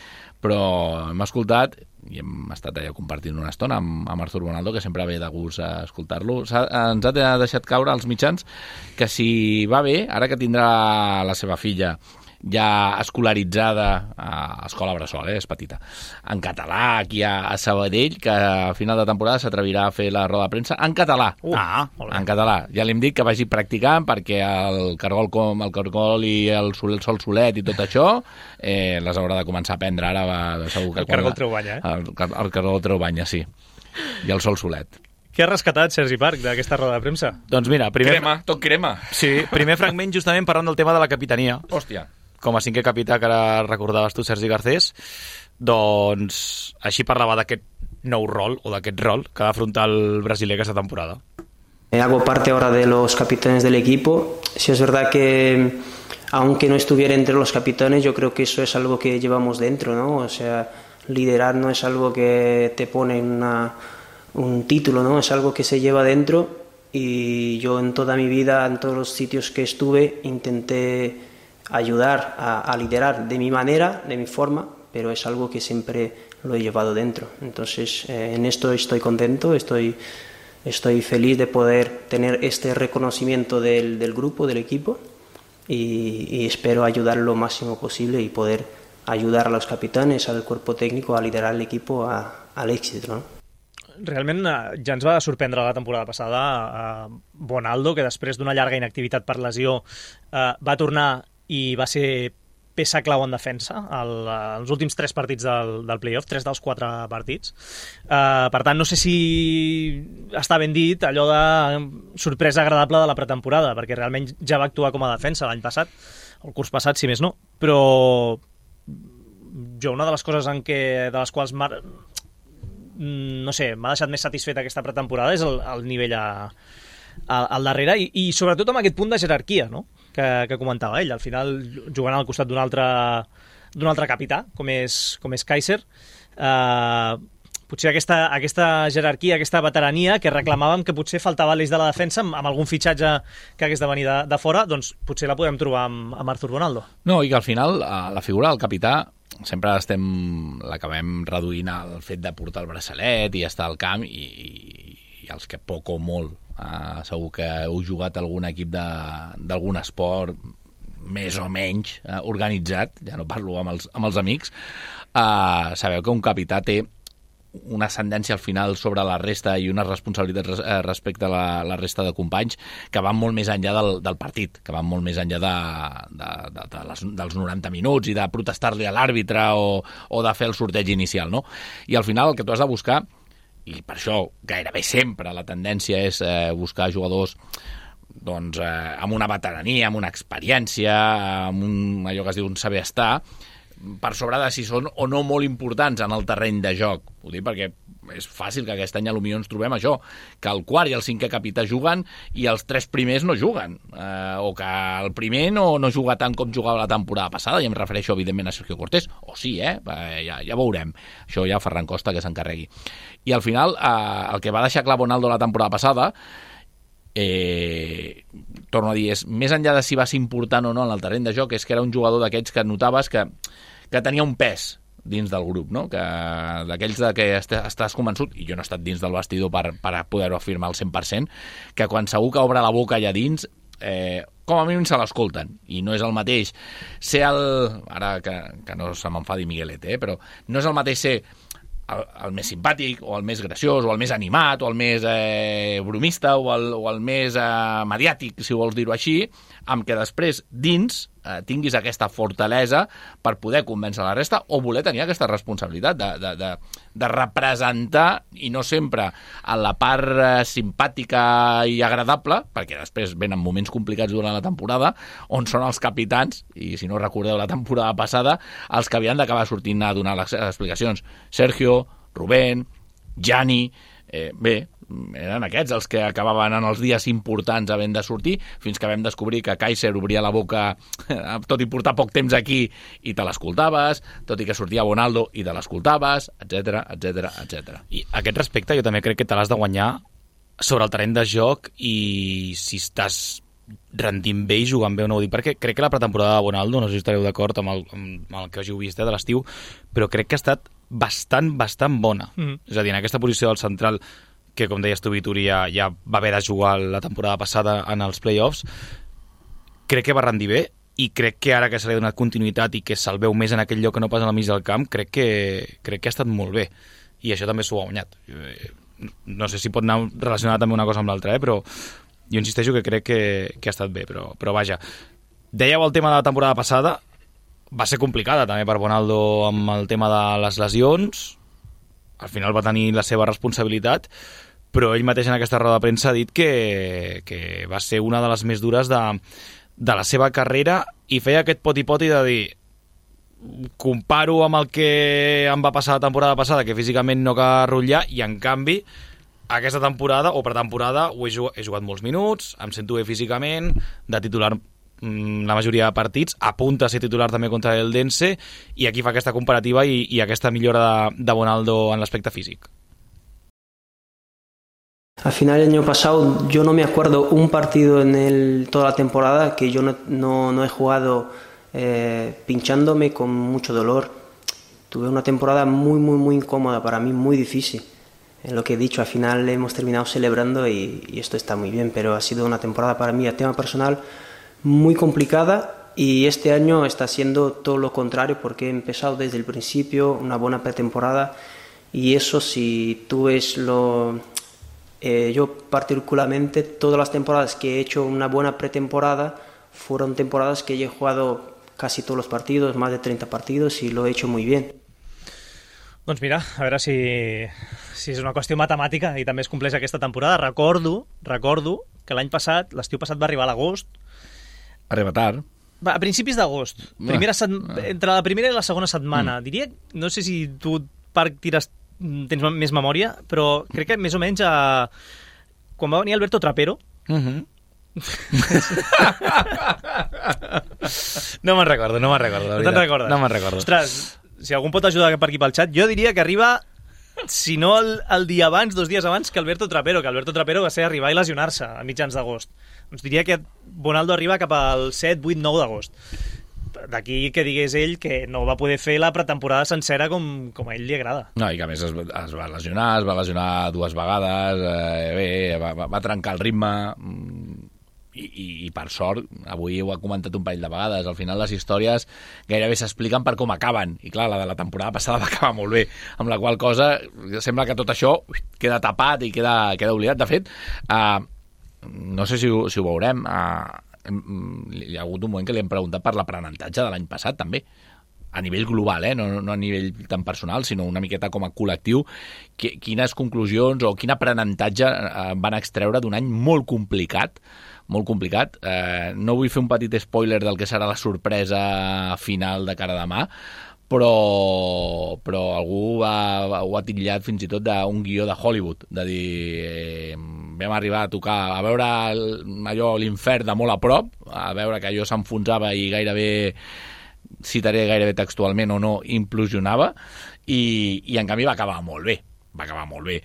però hem escoltat i hem estat allà compartint una estona amb, amb Artur Bonaldo, que sempre ve de gust a escoltar-lo. Ens ha deixat caure als mitjans que si va bé, ara que tindrà la seva filla ja escolaritzada a escola Bressol, eh, és petita, en català aquí a, a Sabadell, que a final de temporada s'atrevirà a fer la roda de premsa en català. Uh, ah, en català. Ja li hem dit que vagi practicant perquè el cargol com el cargol i el, sol, el sol solet i tot això eh, les haurà de començar a aprendre ara. Va, segur que el cargol treu banya, eh? El, el cargol treu banya, sí. I el sol solet. Què ha rescatat Sergi Parc d'aquesta roda de premsa? Doncs mira, primer... Crema, tot crema. Sí, primer fragment justament parlant del tema de la capitania. Hòstia. Com a cinquè capità que ara recordaves tu, Sergi Garcés, doncs així parlava d'aquest nou rol, o d'aquest rol, que ha d'afrontar el brasiler aquesta temporada. Hago parte ahora de los capitanes del equipo. Sí es verdad que, aunque no estuviera entre los capitanes, yo creo que eso es algo que llevamos dentro, ¿no? O sea, liderar no es algo que te pone en una, un título, ¿no? Es algo que se lleva dentro, y yo en toda mi vida, en todos los sitios que estuve, intenté ayudar a, a liderar de mi manera, de mi forma, pero es algo que siempre lo he llevado dentro. Entonces, eh, en esto estoy contento, estoy, estoy feliz de poder tener este reconocimiento del, del grupo, del equipo, y, y espero ayudar lo máximo posible y poder ayudar a los capitanes, al cuerpo técnico, a liderar el equipo a, al éxito, ¿no? Realment ja ens va sorprendre la temporada passada a Bonaldo, que després d'una llarga inactivitat per lesió eh, va tornar i va ser peça clau en defensa el, els últims tres partits del, del playoff, tres dels quatre partits. Uh, per tant, no sé si està ben dit allò de sorpresa agradable de la pretemporada, perquè realment ja va actuar com a defensa l'any passat, el curs passat, si més no. Però jo una de les coses en què, de les quals mar... no sé, m'ha deixat més satisfet aquesta pretemporada és el, el nivell a, a, al darrere, i, i sobretot amb aquest punt de jerarquia, no?, que, que comentava ell. Al final, jugant al costat d'un altre, d'un altre capità, com és, com és Kaiser, eh, potser aquesta, aquesta jerarquia, aquesta veterania que reclamàvem que potser faltava a l'eix de la defensa amb, amb algun fitxatge que hagués de venir de, de fora, doncs potser la podem trobar amb, amb Artur Bonaldo. No, i que al final la figura del capità sempre estem l'acabem reduint al fet de portar el braçalet i estar al camp, i, i els que poc o molt Uh, segur que heu jugat a algun equip d'algun esport més o menys uh, organitzat, ja no parlo amb els, amb els amics, uh, sabeu que un capità té una ascendència al final sobre la resta i una responsabilitat res, uh, respecte a la, la resta de companys que van molt més enllà del, del partit, que van molt més enllà de, de, de, de les, dels noranta minuts i de protestar-li a l'àrbitre o, o de fer el sorteig inicial, no? I al final el que tu has de buscar, i per això gairebé sempre la tendència és eh, buscar jugadors doncs, eh, amb una veterania, amb una experiència, amb un, allò que es diu un saber estar, per sobre de si són o no molt importants en el terreny de joc. Ho dic perquè és fàcil que aquest any potser ens trobem això, que el quart i el cinquè capità juguen i els tres primers no juguen, eh, o que el primer no, no juga tant com jugava la temporada passada, i em refereixo evidentment a Sergio Cortés, o sí, eh? eh ja, ja veurem, això ja Ferran Costa que s'encarregui. I al final eh, el que va deixar clar Bonaldo la temporada passada, eh, torno a dir, és més enllà de si va ser important o no en el terreny de joc, és que era un jugador d'aquests que notaves que, que tenia un pes dins del grup, no? Que d'aquells de que estàs convençut, i jo no he estat dins del vestidor per, per poder-ho afirmar al cent per cent, que quan segur que obre la boca allà dins, eh, com a mínim se l'escolten, i no és el mateix ser el... ara que, que no se m'enfadi Miguelete, eh, però no és el mateix ser el, el més simpàtic, o el més graciós, o el més animat, o el més eh, bromista, o el, o el més eh, mediàtic, si vols dir-ho així, amb que després dins eh, tinguis aquesta fortalesa per poder convèncer la resta, o voler tenir aquesta responsabilitat de, de, de, de representar, i no sempre a la part eh, simpàtica i agradable, perquè després venen moments complicats durant la temporada, on són els capitans, i si no recordeu la temporada passada, els que havien d'acabar sortint a donar les explicacions. Sergio, Rubén, Gianni, eh, bé, eren aquests els que acabaven en els dies importants havent de sortir, fins que vam descobrir que Kaiser obria la boca tot i portar poc temps aquí i te l'escoltaves, tot i que sortia Bonaldo i te l'escoltaves, etcètera, etcètera, etcètera. I a aquest respecte jo també crec que te l'has de guanyar sobre el terreny de joc, i si estàs rendint bé i jugant bé o no, ho dic perquè crec que la pretemporada de Bonaldo, no sé si estareu d'acord amb el, amb el que hàgiu vist eh, de l'estiu, però crec que ha estat bastant, bastant bona. Mm. És a dir, en aquesta posició del central, que com deies tu, Vituri, ja, ja va haver de jugar la temporada passada en els play-offs, crec que va rendir bé, i crec que ara que se li ha donat continuïtat i que se'l veu més en aquell lloc que no pas al mig del camp, crec que, crec que ha estat molt bé. I això també s'ho ha guanyat. No sé si pot anar relacionat també una cosa amb l'altra, eh? Però jo insisteixo que crec que, que ha estat bé, però, però vaja. Dèieu el tema de la temporada passada, va ser complicada també per Bonaldo amb el tema de les lesions, al final va tenir la seva responsabilitat, però ell mateix en aquesta roda de premsa ha dit que, que va ser una de les més dures de, de la seva carrera, i feia aquest poti-poti de dir, comparo amb el que em va passar la temporada passada, que físicament no cal rotllar, i en canvi aquesta temporada o pretemporada ho he jugat, he jugat molts minuts, em sento bé físicament, de titular la majoria de partits, apunta a ser titular també contra el Dense, i aquí fa aquesta comparativa i, i aquesta millora de, de Bonaldo en l'aspecte físic. Al final el año pasado yo no me acuerdo un partido en el, toda la temporada que yo no, no, no he jugado eh, pinchándome con mucho dolor. Tuve una temporada muy muy muy incómoda para mí, muy difícil. En lo que he dicho, al final hemos terminado celebrando y, y esto está muy bien, pero ha sido una temporada para mí a tema personal muy complicada, y este año está siendo todo lo contrario porque he empezado desde el principio una buena pretemporada, y eso, si tú ves lo... Eh, yo particularmente todas las temporadas que he hecho una buena pretemporada fueron temporadas que yo he jugado casi todos los partidos, más de treinta partidos, y lo he hecho muy bien. Doncs mira, a veure si, si és una qüestió matemàtica i també es compleix aquesta temporada. Recordo, recordo que l'any passat, l'estiu passat, va arribar a l'agost. Arriba tard. Va, a principis d'agost. Primera set... Entre la primera i la segona setmana. Mm. Diria, no sé si tu, Parc, tires, tens més memòria, però crec que més o menys a... quan va venir Alberto Trapero... Mm-hmm. no me'n recordo, no me'n recordo. No te'n recordes? No me'n recordo. Ostres, si algú pot ajudar per aquí pel xat, jo diria que arriba, si no el, el dia abans, dos dies abans, que Alberto Trapero, que Alberto Trapero va ser arribar i lesionar-se a mitjans d'agost. Doncs diria que Bonaldo arriba cap al set, vuit, nou d'agost. D'aquí que digués ell que no va poder fer la pretemporada sencera com, com a ell li agrada. No, i que a més es, es va lesionar, es va lesionar dues vegades, eh, bé, va, va, va trencar el ritme... I, i, i per sort, avui ho ha comentat un parell de vegades, al final les històries gairebé s'expliquen per com acaben, i clar, la de la temporada passada va acabar molt bé, amb la qual cosa sembla que tot això queda tapat i queda, queda oblidat. De fet, uh, no sé si ho, si ho veurem, uh, hi ha hagut un moment que li hem preguntat per l'aprenentatge de l'any passat també, a nivell global, eh? no, no a nivell tan personal, sinó una miqueta com a col·lectiu, quines conclusions o quin aprenentatge van extreure d'un any molt complicat, molt complicat. Eh, no vull fer un petit spoiler del que serà la sorpresa final de cara a demà, però, però algú ha, ho ha titllat fins i tot d'un guió de Hollywood, de dir, eh, vam arribar a tocar, a veure allò, l'infern de molt a prop, a veure que allò s'enfonsava i gairebé, citaré gairebé textualment o no, implosionava, i, i en canvi va acabar molt bé, va acabar molt bé.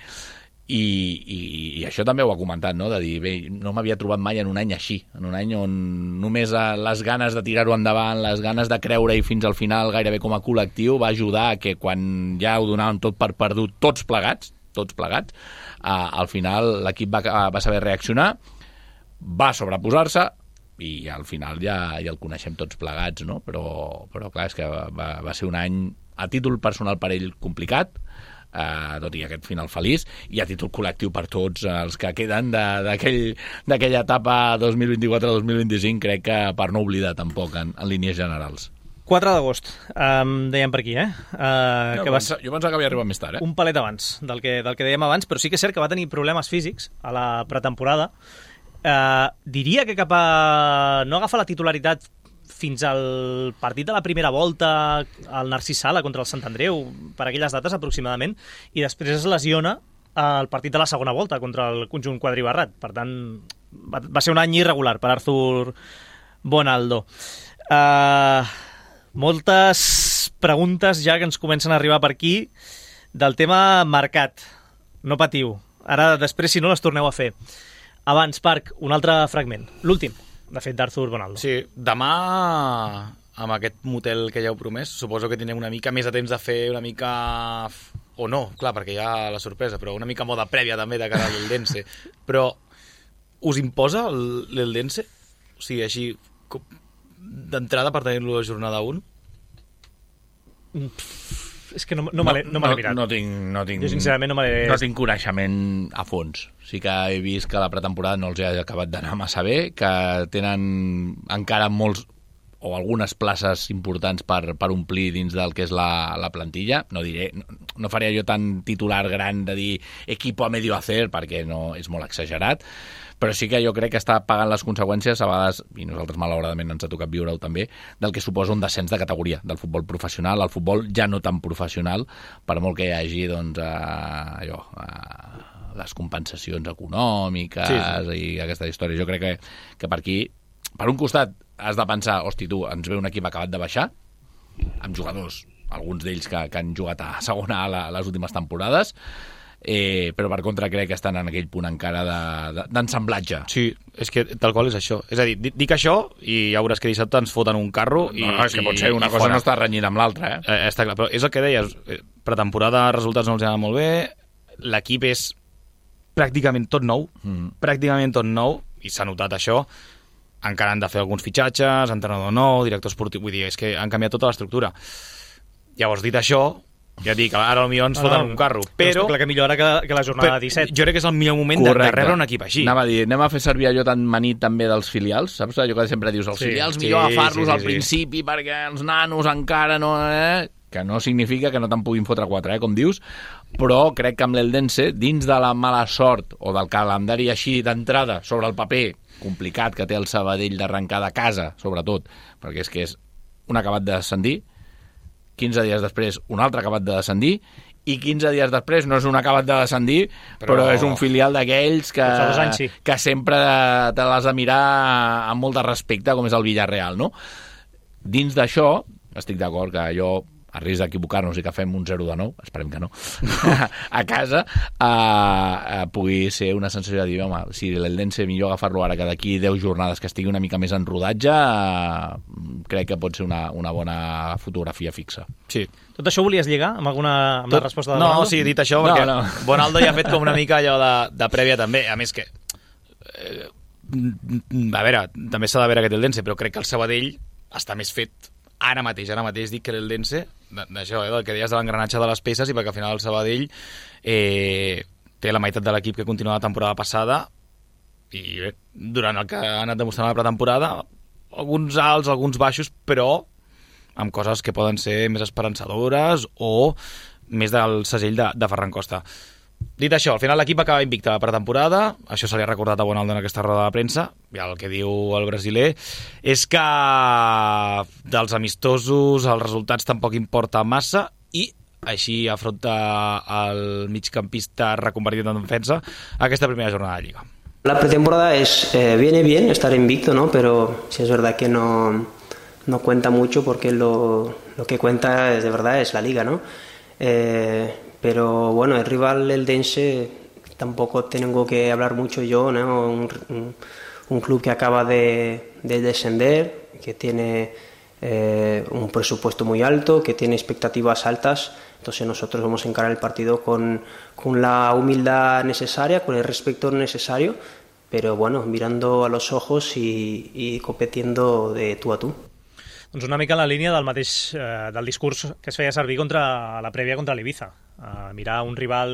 I, i, i això també ho ha comentat, no? De dir, bé, no m'havia trobat mai en un any així, en un any on només les ganes de tirar-ho endavant, les ganes de creure-hi fins al final gairebé com a col·lectiu va ajudar a que quan ja ho donàvem tot per perdut, tots plegats, tots plegats, eh, al final l'equip va, va saber reaccionar, va sobreposar-se, i al final ja, ja el coneixem tots plegats, no? Però, però clar, és que va, va ser un any a títol personal per ell complicat, Uh, tot i aquest final feliç, i a títol col·lectiu per tots els que queden d'aquella aquell, etapa dos mil vint-i-quatre dos mil vint-i-cinc, crec que per no oblidar tampoc en, en línies generals. quatre d'agost, um, dèiem per aquí, eh? Uh, no, que va... va... Jo pensava que havia arribat més tard, eh? Un palet abans del que, del que dèiem abans, però sí que és cert que va tenir problemes físics a la pretemporada. Uh, diria que cap a... no agafa la titularitat fins al partit de la primera volta al Narcís Sala contra el Sant Andreu, per aquelles dates aproximadament, i després es lesiona al partit de la segona volta contra el conjunt quadribarrat. Per tant, va, va ser un any irregular per Arthur Bonaldo. Uh, moltes preguntes ja que ens comencen a arribar per aquí del tema mercat. No patiu. Ara, després, si no, les torneu a fer. Abans, Parc, un altre fragment. L'últim, de fet, d'Arthur Bonaldo. Sí, demà amb aquest motel que ja heu promès, suposo que tindrem una mica més de temps de fer una mica... O no, clar, perquè hi ha la sorpresa, però una mica moda prèvia també de cara a l'Eldense. Però us imposa l'Eldense? O sigui, així, d'entrada per tenir-lo a jornada un? És que no, no, me l'he no, no mirat. No tinc, no tinc, jo, sincerament, no me l'he... No tinc coneixement a fons. Sí que he vist que la pretemporada no els ha acabat d'anar massa bé, que tenen encara molts o algunes places importants per, per omplir dins del que és la, la plantilla. No diré, no, no faria jo tan titular gran de dir equipo a medio hacer, perquè no és molt exagerat, però sí que jo crec que està pagant les conseqüències, a vegades, i nosaltres malauradament ens ha tocat viure-ho també, del que suposa un descens de categoria del futbol professional, el futbol ja no tan professional, per molt que hi hagi doncs, eh, allò, eh, les compensacions econòmiques sí, sí. I aquesta història. Jo crec que, que per aquí, per un costat, has de pensar, hosti, tu, ens ve un equip acabat de baixar, amb jugadors, alguns d'ells que, que han jugat a segona A la, les últimes temporades, eh, però per contra crec que estan en aquell punt encara d'ensamblatge. De, de, sí, és que tal qual és això. És a dir, dic això i ja veuràs que dissabte ens foten un carro i... No, no, és que pot ser, una cosa fora. No està renyint amb l'altra, eh? eh? Està clar, però és el que deies, pretemporada, resultats no els han anat molt bé, l'equip és pràcticament tot nou, mm. pràcticament tot nou, i s'ha notat això. Encara han de fer alguns fitxatges, entrenador nou, director esportiu, vull dir, és que han canviat tota l'estructura. Llavors, dit això, ja dic, ara potser ens foten no, no, un carro, però... Però que millor que, que la jornada disset. Jo crec que és el millor moment Correcte. de rebre un equip així. Anava a dir, anem a fer servir allò tan manit també dels filials, saps? Allò que sempre dius, els sí, filials sí, millor agafar-los sí, sí, al principi sí. perquè els nanos encara no... Eh? Que no significa que no te'n puguin fotre quatre, eh, com dius, però crec que amb l'Eldense, dins de la mala sort o del calendari així d'entrada sobre el paper complicat que té el Sabadell d'arrencar de casa, sobretot, perquè és que és un acabat de descendir, quinze dies després un altre acabat de descendir, i quinze dies després no és un acabat de descendir, però, però és un filial d'aquells que, anys, sí. que sempre te l'has de mirar amb molt de respecte, com és el Villarreal, no? Dins d'això, estic d'acord que jo a risc d'equivocar-nos i que fem un zero de nou, esperem que no, a casa, eh, eh, pugui ser una sensació de dir, home, si l'Eldense millor agafar-lo ara que d'aquí deu jornades que estigui una mica més en rodatge, eh, crec que pot ser una, una bona fotografia fixa. Sí. Tot això volies lligar amb alguna amb Tot... la resposta de no, Bonaldo? No, sí, dit això, perquè no, no. Bonaldo ja ha fet com una mica allò de, de prèvia també, a més que eh, a veure, també s'ha de veure aquest Eldense, però crec que el Sabadell està més fet ara mateix, ara mateix dic que l'Eldense, d'això, eh, del que deies de l'engranatge de les peces, i perquè al final el Sabadell eh, té la meitat de l'equip que continua la temporada passada, i bé, durant el que ha anat demostrant la pretemporada, alguns alts, alguns baixos, però amb coses que poden ser més esperançadores o més del segell de, de Ferran Costa. Dit això, al final l'equip acaba invicte a la pretemporada, això se li ha recordat a Bonaldo en aquesta roda de premsa, i el que diu el brasiler és que dels amistosos els resultats tampoc importa massa, i així afronta el migcampista reconvertit en defensa aquesta primera jornada de Lliga. La pretemporada es, eh, viene bien estar invicto, ¿no? Pero sí es verdad que no, no cuenta mucho porque lo, lo que cuenta es, de verdad es la Liga, ¿no? Eh, Pero bueno, el rival Eldense tampoco tengo que hablar mucho yo, ¿no? Un, un, un club que acaba de, de descender, que tiene eh, un presupuesto muy alto, que tiene expectativas altas. Entonces nosotros vamos a encarar el partido con, con la humildad necesaria, con el respeto necesario, pero bueno, mirando a los ojos y, y compitiendo de tú a tú. Doncs una mica en la línia del mateix eh, del discurs que es feia servir contra la prèvia contra l'Ibiza. Uh, mirar un rival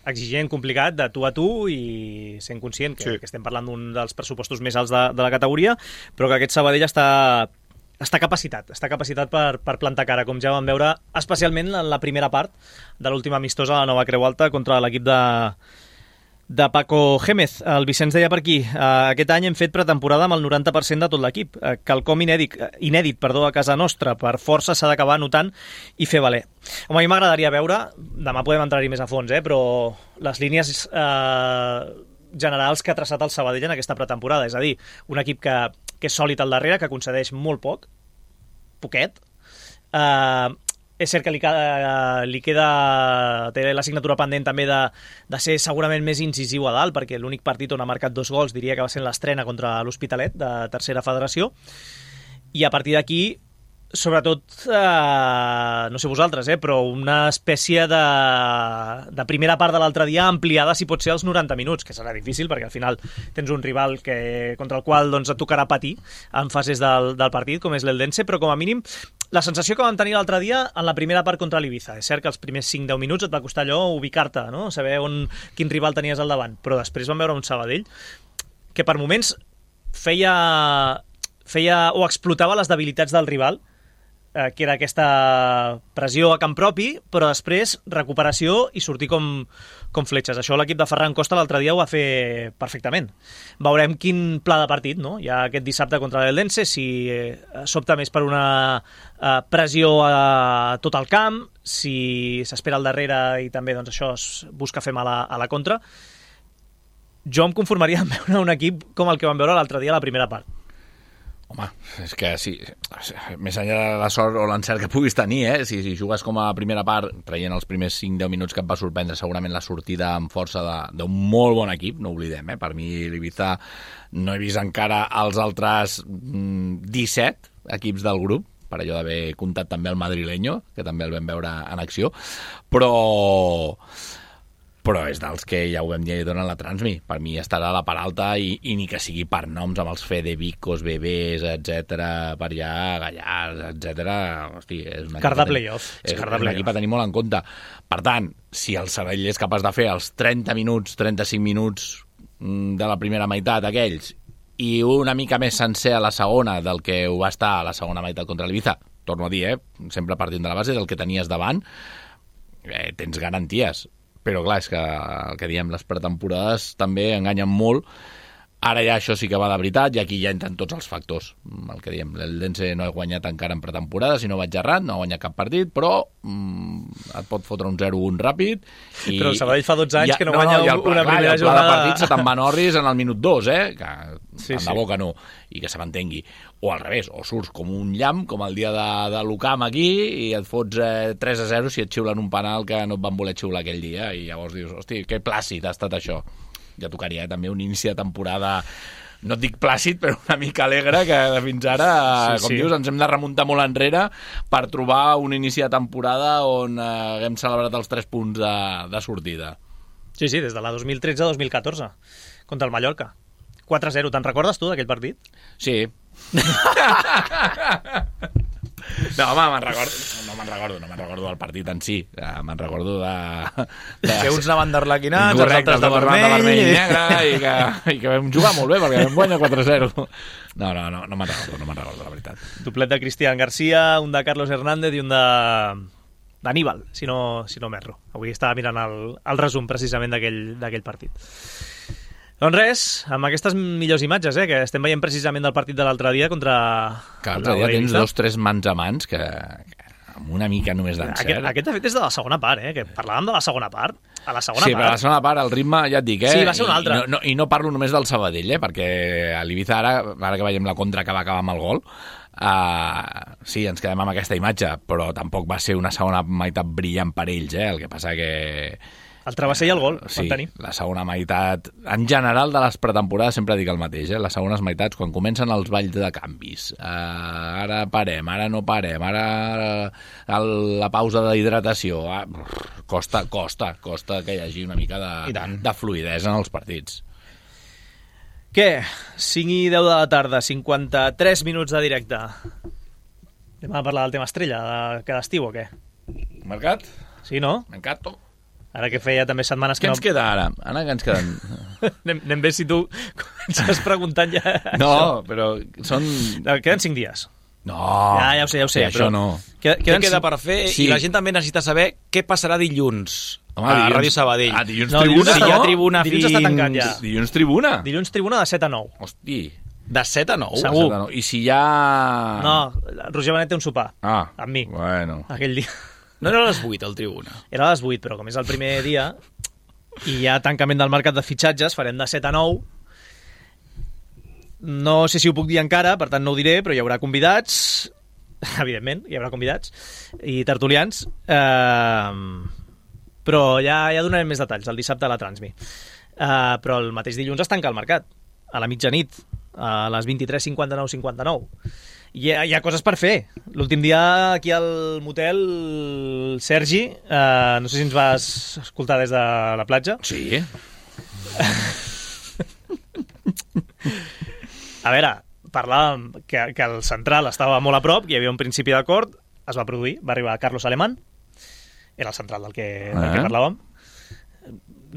exigent, complicat, de tu a tu, i sent conscient que, sí. que estem parlant d'un dels pressupostos més alts de, de la categoria, però que aquest Sabadell està, està capacitat, està capacitat per, per plantar cara, com ja vam veure, especialment en la primera part de l'última amistosa a la Nova Creu Alta contra l'equip de, de Paco Gémez. El Vicenç deia per aquí, eh, aquest any hem fet pretemporada amb el noranta per cent de tot l'equip, eh, quelcom inèdit, inèdit perdó, a casa nostra, per força s'ha d'acabar notant i fer valer. Home, a mi m'agradaria veure, demà podem entrar-hi més a fons, eh, però les línies eh, generals que ha traçat el Sabadell en aquesta pretemporada, és a dir, un equip que, que és sòlid al darrere, que concedeix molt poc, poquet, eh, és cert que li, uh, li queda té l'assignatura pendent també de, de ser segurament més incisiu a dalt, perquè l'únic partit on ha marcat dos gols diria que va ser l'estrena contra l'Hospitalet de tercera federació, i a partir d'aquí sobretot, eh, no sé vosaltres, eh, però una espècie de, de primera part de l'altre dia ampliada, si pot ser, als noranta minuts, que serà difícil, perquè al final tens un rival que, contra el qual doncs, et tocarà patir en fases del, del partit, com és l'Eldense, però com a mínim la sensació que vam tenir l'altre dia en la primera part contra l'Ibiza. És cert que els primers cinc deu minuts et va costar allò ubicar-te, no? Saber on, quin rival tenies al davant, però després vam veure un Sabadell que per moments feia, feia o explotava les debilitats del rival, eh, que era aquesta pressió a camp propi, però després recuperació i sortir com, com fletxes. Això l'equip de Ferran Costa l'altre dia ho va fer perfectament. Veurem quin pla de partit, no? Hi ha aquest dissabte contra l'Eldense, si eh, s'opta més per una eh, pressió a tot el camp, si s'espera al darrere i també doncs, això es busca fer mal a, a la contra. Jo em conformaria amb veure un equip com el que vam veure l'altre dia a la primera part. Home, és que sí, més enllà de la sort o l'encert que puguis tenir, eh? si, si jugues com a primera part, traient els primers cinc deu minuts que et va sorprendre segurament la sortida amb força d'un molt bon equip, no oblidem, eh? Per mi l'Ibiza no he vist encara els altres mm, disset equips del grup, per allò d'haver comptat també el madrileño, que també el vam veure en acció, però... però és dels que ja ho vam dir durant la Transmi. Per mi estarà a la part alta i, i ni que sigui per noms amb els Fedevicos, Bebés, etcètera, per allà, Gallars, etcètera. Hosti, és un car de tenir, playoff. És, és un equip a tenir molt en compte. Per tant, si el Sabadell és capaç de fer els trenta minuts, trenta-cinc minuts de la primera meitat aquells i una mica més sencer a la segona del que ho va estar a la segona meitat contra l'Ibiza, torno a dir, eh, sempre partint de la base del que tenies davant, eh, tens garanties. Però clar, és que el que diem, les pretemporades també enganyen molt. Ara ja això sí que va de veritat i aquí ja entren tots els factors. El que diem, l'Eldense no ha guanyat encara en pretemporada, si no vaig errat, no ha guanyat cap partit, però mm, et pot fotre un zero un ràpid. I, però el Sabadell fa dotze anys ja, que no, no guanya no, el, una clar, primera jornada. El jornada. pla de partit se te'n va Norris en el minut dos, eh? Que sí, tant sí. de bo que no, i que se m'entengui. O al revés, o surts com un llamp, com el dia de, de l'Ucam aquí, i et fots eh, tres a zero si et xiulen un penal que no et van voler xiular aquell dia, i llavors dius, hosti, que plàcid ha estat això. Ja tocaria eh, també un inici de temporada, no et dic plàcid, però una mica alegre, que fins ara, sí, com sí. dius, ens hem de remuntar molt enrere per trobar un inici de temporada on eh, haguem celebrat els tres punts de, de sortida. Sí, sí, des de la dos mil tretze a dos mil catorze, contra el Mallorca. quatre a zero, te'n recordes tu d'aquell partit? Sí. No, home, me'n recordo, no me'n recordo, no me'n recordo del partit en si, me'n recordo de... de... Que uns anaven d'arlequinats, els correcte, altres de vermell, de vermell i negre, i que, i que vam jugar molt bé, perquè vam guanyar quatre a zero. No, no, no, no me'n recordo, no me'n recordo, la veritat. Doblet de Cristian García, un de Carlos Hernández i un de... d'Aníbal, si no, si no m'erro. Avui estava mirant el, el resum, precisament, d'aquell partit. Doncs res, amb aquestes millors imatges, eh, que estem veient precisament del partit de l'altre dia contra... Que l'altre dia tens dos, tres mans a mans que, que amb una mica només d'encert. Aquest, aquest, de fet, és de la segona part, eh, que parlàvem de la segona part. A la segona sí, part... però a la segona part el ritme, ja et dic, eh? Sí, va ser un altre. I no, no, I no parlo només del Sabadell, eh, perquè a l'Ibiza ara, ara que veiem la contra que va acabar amb el gol, uh, sí, ens quedem amb aquesta imatge, però tampoc va ser una segona meitat brillant per ells, eh? El que passa que... El travesser i el gol, sí, van tenir. La segona meitat, en general de les pretemporades sempre dic el mateix, eh? Les segones meitats, quan comencen els balls de canvis, uh, ara parem, ara no parem, ara el, la pausa d'hidratació, uh, costa, costa, costa que hi hagi una mica de, de fluïdesa en els partits. Què? cinc i deu de la tarda, cinquanta-tres minuts de directe. Anem a parlar del tema estrella de cada estiu o què? Mercat? Sí, no? Mercato. Ara que feia també setmanes que què no... ens queda ara? Ara que ens queden... anem, anem bé si tu comences preguntant ja no, això. però són... Queden cinc dies. No, ja, ja ho sé, ja ho sé. Sí, això però no. Queda, què queda per fer? Sí. I la gent també necessita saber què passarà dilluns. Home, a dilluns, Ràdio Sabadell. Ah, dilluns no, tribuna, dilluns, no? Si hi ha tribuna dilluns fins... està tancat ja. Dilluns tribuna? Dilluns tribuna de set a nou. Hosti. De set a nou? Segur. set a nou. I si hi ha... No, Roger Benet té un sopar. Ah, amb mi. Bueno. Aquell dia. No era a les vuit, el tribuna. Era a les vuit, però com és el primer dia i hi ha tancament del mercat de fitxatges, farem de set a nou. No sé si ho puc dir encara, per tant no ho diré, però hi haurà convidats, evidentment, hi haurà convidats i tertulians, eh, però ja, ja donarem més detalls el dissabte a la Transmi. Eh, però el mateix dilluns es tanca el mercat, a la mitjanit, a les vint-i-tres cinquanta-nou cinquanta-nou. Hi ha, hi ha coses per fer. L'últim dia aquí al motel, el Sergi, eh, no sé si ens vas escoltar des de la platja. Sí. A veure, parlàvem que, que el central estava molt a prop, hi havia un principi d'acord, es va produir, va arribar Carlos Alemán, era el central del que, del Ah. que parlàvem.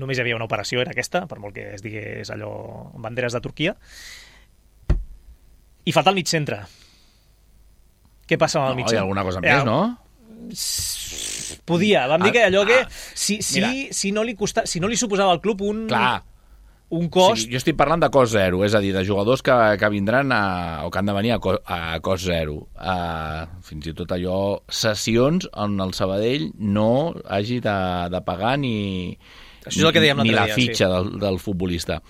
Només hi havia una operació, era aquesta, per molt que es digués allò amb banderes de Turquia. I falta el mig centre. Què passa amb el No, mig hi centre? ha alguna cosa Ja, més, no? Podia, vam dir Ah, que allò que ah, si, si, mira. si, no li costa, si no li suposava al club un, Clar. un cost... Sí, jo estic parlant de cost zero, és a dir, de jugadors que, que vindran a, o que han de venir a, co, a cost zero. Uh, fins i tot allò, sessions on el Sabadell no hagi de, de pagar ni, Això és el que dèiem ni l'altre la dia, fitxa sí. del, del futbolista.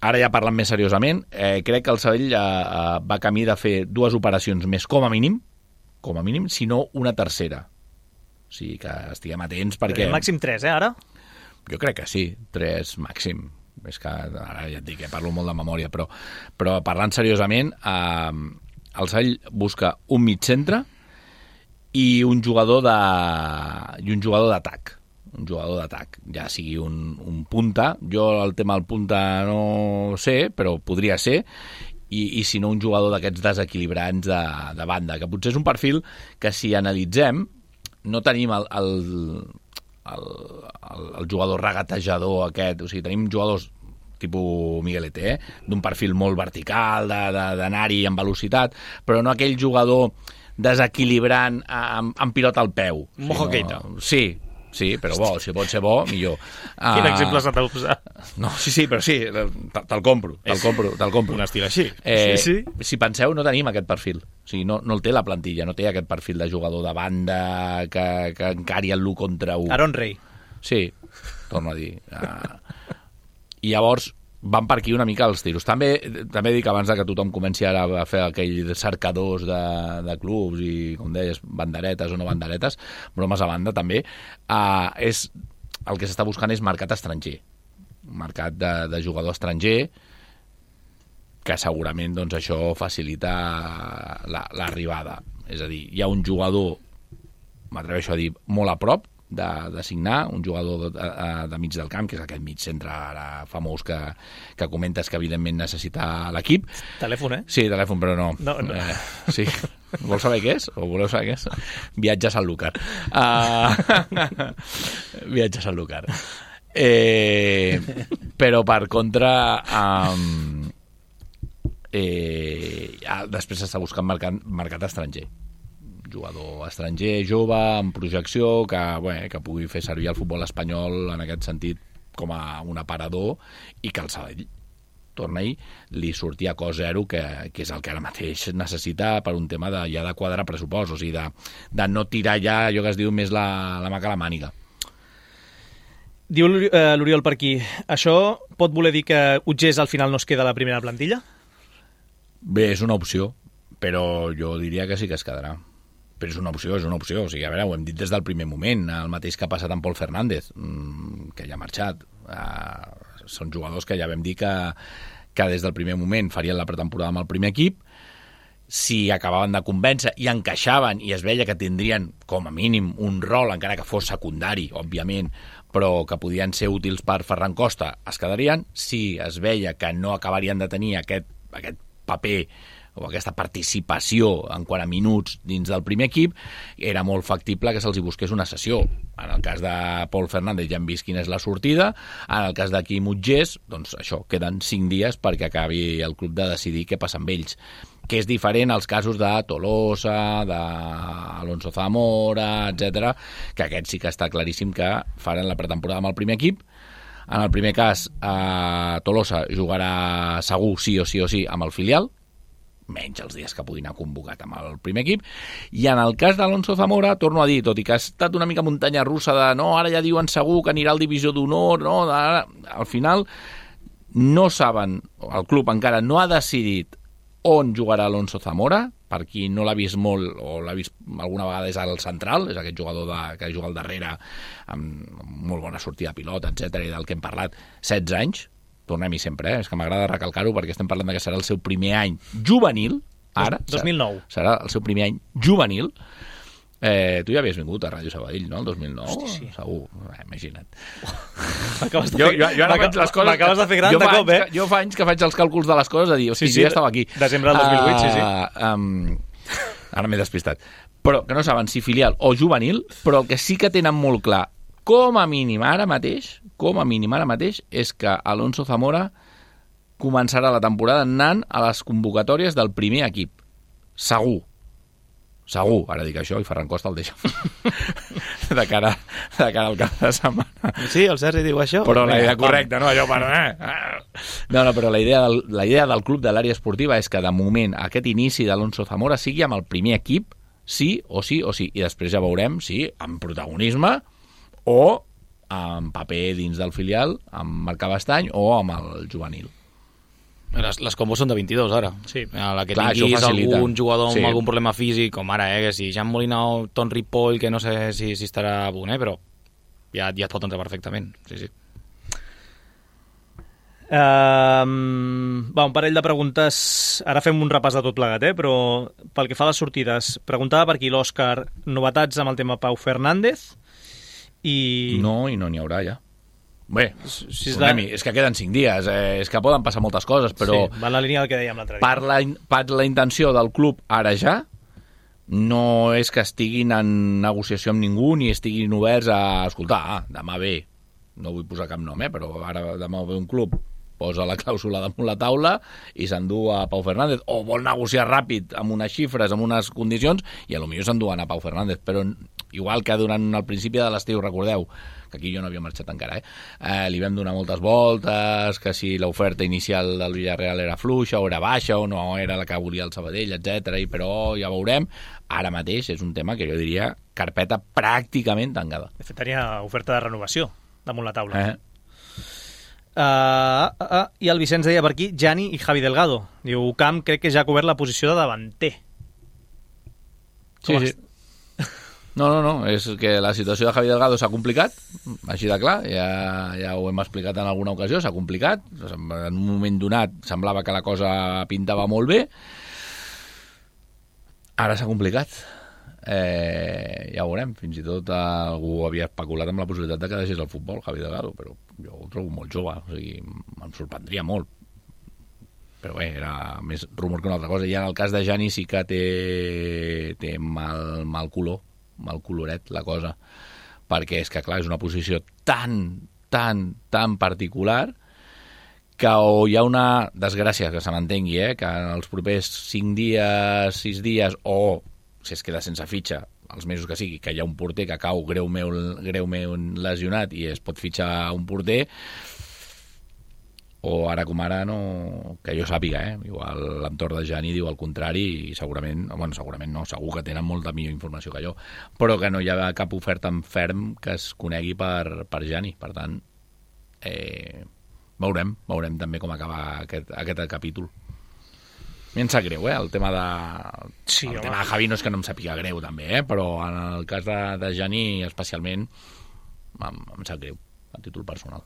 Ara ja parlant més seriosament, eh, crec que el Sabadell eh, eh, va camí de fer dues operacions més com a mínim, com a mínim, si no una tercera. O sigui que estiguem atents perquè... Màxim tres, eh, ara? Jo crec que sí, tres màxim. És que ara ja et dic que parlo molt de memòria, però, però parlant seriosament, eh, el Sabadell busca un mig centre i un jugador de i un jugador d'atac. Un jugador d'atac, ja sigui un, un punta. Jo el tema del punta no sé, però podria ser. I, i si no un jugador d'aquests desequilibrants de, de banda, que potser és un perfil que si analitzem no tenim el, el, el, el, el jugador regatejador aquest, o sigui, tenim jugadors tipus Miguelete, eh? D'un perfil molt vertical, de, de, d'anar-hi amb velocitat, però no aquell jugador desequilibrant amb, amb pilota al peu. Mojo sinó- Keita. Sí, sí, però bo, si pot ser bo, millor. Quin Ah, exemple s'ha de posar? No, sí, sí, però sí, te- te'l compro, te'l compro, te'l compro. Un estil així. Eh, Sí, Si penseu, no tenim aquest perfil. O sigui, no, no el té la plantilla, no té aquest perfil de jugador de banda que, que encari el l'u contra u. Aaron Rey. Sí, torno a dir. Uh, I llavors van per aquí una mica els tiros. També també dic abans de que tothom comenci ara a fer aquell cercadors de, de clubs i, com deies, banderetes o no banderetes, bromes a banda també, uh, és, el que s'està buscant és mercat estranger. Mercat de, de jugador estranger que segurament doncs, això facilita la, l'arribada. És a dir, hi ha un jugador, m'atreveixo a dir, molt a prop de, de signar, un jugador de, de, de mig del camp, que és aquest mig centre ara famós que, que comentes que evidentment necessita l'equip. Telèfon, eh? Sí, telèfon, però no. No, no. Eh, sí. Vols saber què és? O voleu saber què és? Viatge a Sanlúcar. Uh, viatge a Sanlúcar. Eh, però per contra um, eh, després s'està buscant mercat, mercat estranger, jugador estranger, jove, amb projecció, que, bé, que pugui fer servir el futbol espanyol en aquest sentit com a un aparador, i que el Sabadell, torna-hi, li surti a cost zero, que, que és el que ara mateix necessita per un tema de, ja de quadrar pressupost, o sigui, de, de no tirar ja allò que es diu més la, la mà que la màniga. Diu eh, l'Oriol per aquí, això pot voler dir que Utgés al final no es queda a la primera plantilla? Bé, és una opció, però jo diria que sí que es quedarà. Però és una opció, és una opció. O sigui, a veure, ho hem dit des del primer moment, el mateix que ha passat amb Pol Fernández, que ja ha marxat. Uh, són jugadors que ja vam dir que, que des del primer moment farien la pretemporada amb el primer equip. Si acabaven de convèncer i encaixaven i es veia que tindrien, com a mínim, un rol, encara que fos secundari, òbviament, però que podien ser útils per Ferran Costa, es quedarien. Si es veia que no acabarien de tenir aquest, aquest paper o aquesta participació en quant a minuts dins del primer equip, era molt factible que se'ls hi busqués una sessió. En el cas de Pol Fernández ja hem vist quina és la sortida, en el cas de Quim Utgés, doncs això, queden cinc dies perquè acabi el club de decidir què passa amb ells, que és diferent als casos de Tolosa, d'Alonso Zamora, etcètera, que aquest sí que està claríssim que faran la pretemporada amb el primer equip. En el primer cas, eh, Tolosa jugarà segur sí o sí o sí amb el filial, menys els dies que pugui anar convocat amb el primer equip, i en el cas d'Alonso Zamora, torno a dir, tot i que ha estat una mica muntanya russa de no, ara ja diuen segur que anirà al divisió d'honor, no, ara, al final no saben, el club encara no ha decidit on jugarà Alonso Zamora, per qui no l'ha vist molt o l'ha vist alguna vegada és al central, és aquest jugador de, que juga al darrere amb molt bona sortida de pilota, etcètera, i del que hem parlat, setze anys. Tornem-hi sempre, eh? És que m'agrada recalcar-ho perquè estem parlant de que serà el seu primer any juvenil, ara. dos mil nou. Serà el seu primer any juvenil. Eh, tu ja havies vingut a Ràdio Sabadell, no?, el dos mil nou? Hosti, sí. Segur, eh, imagina't. M'acabes de Jo, fer, jo, jo ara faig les coses... m'acabes de fer gran jo de fa cop, eh? Que, jo fa anys que faig els càlculs de les coses, de dir, hosti, Sí, sí, jo ja estava aquí. desembre del dos mil vuit, sí, sí. Uh, um, ara m'he despistat. Però que no saben si filial o juvenil, però el que sí que tenen molt clar, com a mínim ara mateix, com a mínim ara mateix, és que Alonso Zamora començarà la temporada anant a les convocatòries del primer equip. Segur. Segur. Ara dic això i Ferran Costa el deixa de cara, de cara al cap de setmana. Sí, el Sergi diu això. Però la idea correcta, no? Allò per... No, no, però la idea, del, la idea del club de l'àrea esportiva és que de moment aquest inici d'Alonso Zamora sigui amb el primer equip, sí o sí o sí. I després ja veurem si amb protagonisme o amb paper dins del filial, amb Marc Cabestany o amb el juvenil. Les, les combos són de vint-i-dos, ara. Sí. A la que Clar, tinguis algun jugador amb sí. algun problema físic, com ara, eh, que si Jean Molina o Ton Ripoll, que no sé si, si estarà a punt, eh, però ja, ja et pot entrar perfectament. Sí, sí. Um, va, un parell de preguntes. Ara fem un repàs de tot plegat, eh? Però pel que fa a les sortides, preguntava per aquí l'Òscar, novetats amb el tema Pau Fernández i... No, i no n'hi haurà ja. Bé, si és, de... de... és que queden cinc dies, eh, és que poden passar moltes coses, però sí, va en la línia del que dèiem l'altre dia. per la, per la intenció del club ara ja, no és que estiguin en negociació amb ningú ni estiguin oberts a escoltar, ah, demà ve, no vull posar cap nom, eh, però ara demà ve un club, posa la clàusula damunt la taula i s'endú a Pau Fernández, o vol negociar ràpid amb unes xifres, amb unes condicions, i a lo millor s'enduen a Pau Fernández, però igual que durant el principi de l'estiu, recordeu, que aquí jo no havia marxat encara, eh? eh li vam donar moltes voltes, que si l'oferta inicial del Villarreal era fluixa o era baixa o no era la que volia el Sabadell, etcètera. I però ja veurem. Ara mateix és un tema que jo diria carpeta pràcticament tancada. De fet, tenia oferta de renovació damunt la taula. Eh? Uh, uh, uh, I el Vicenç deia per aquí, Gianni i Javi Delgado. Diu, Camp crec que ja ha cobert la posició de davanter. Sí, sí. No, no, no, és que la situació de Javi Delgado s'ha complicat, així de clar, ja, ja ho hem explicat en alguna ocasió, s'ha complicat, en un moment donat semblava que la cosa pintava molt bé, ara s'ha complicat, eh, ja ho veurem, fins i tot algú havia especulat amb la possibilitat de que deixés el futbol, Javi Delgado, però jo ho trobo molt jove, o sigui, em sorprendria molt. Però bé, era més rumor que una altra cosa, i en el cas de Gianni sí que té, té mal, mal color, mal coloret la cosa, perquè és que clar, és una posició tan, tan, tan particular que o hi ha una desgràcia, que se m'entengui, eh? Que en els propers cinc dies, sis dies, o si es queda sense fitxa, els mesos que sigui, que hi ha un porter que cau greument, greument lesionat i es pot fitxar un porter, o ara com ara no, que jo sàpiga, eh? Igual l'entorn de Gianni diu el contrari i segurament, bueno, segurament no, segur que tenen molta millor informació que jo, però que no hi ha cap oferta en ferm que es conegui per, per Gianni, per tant eh, veurem, veurem també com acaba aquest, aquest capítol. A mi em sap greu, eh, el tema de sí, el home. tema de Javi no és que no em sàpiga greu també, eh, però en el cas de, de Gianni especialment em, em sap greu a títol personal.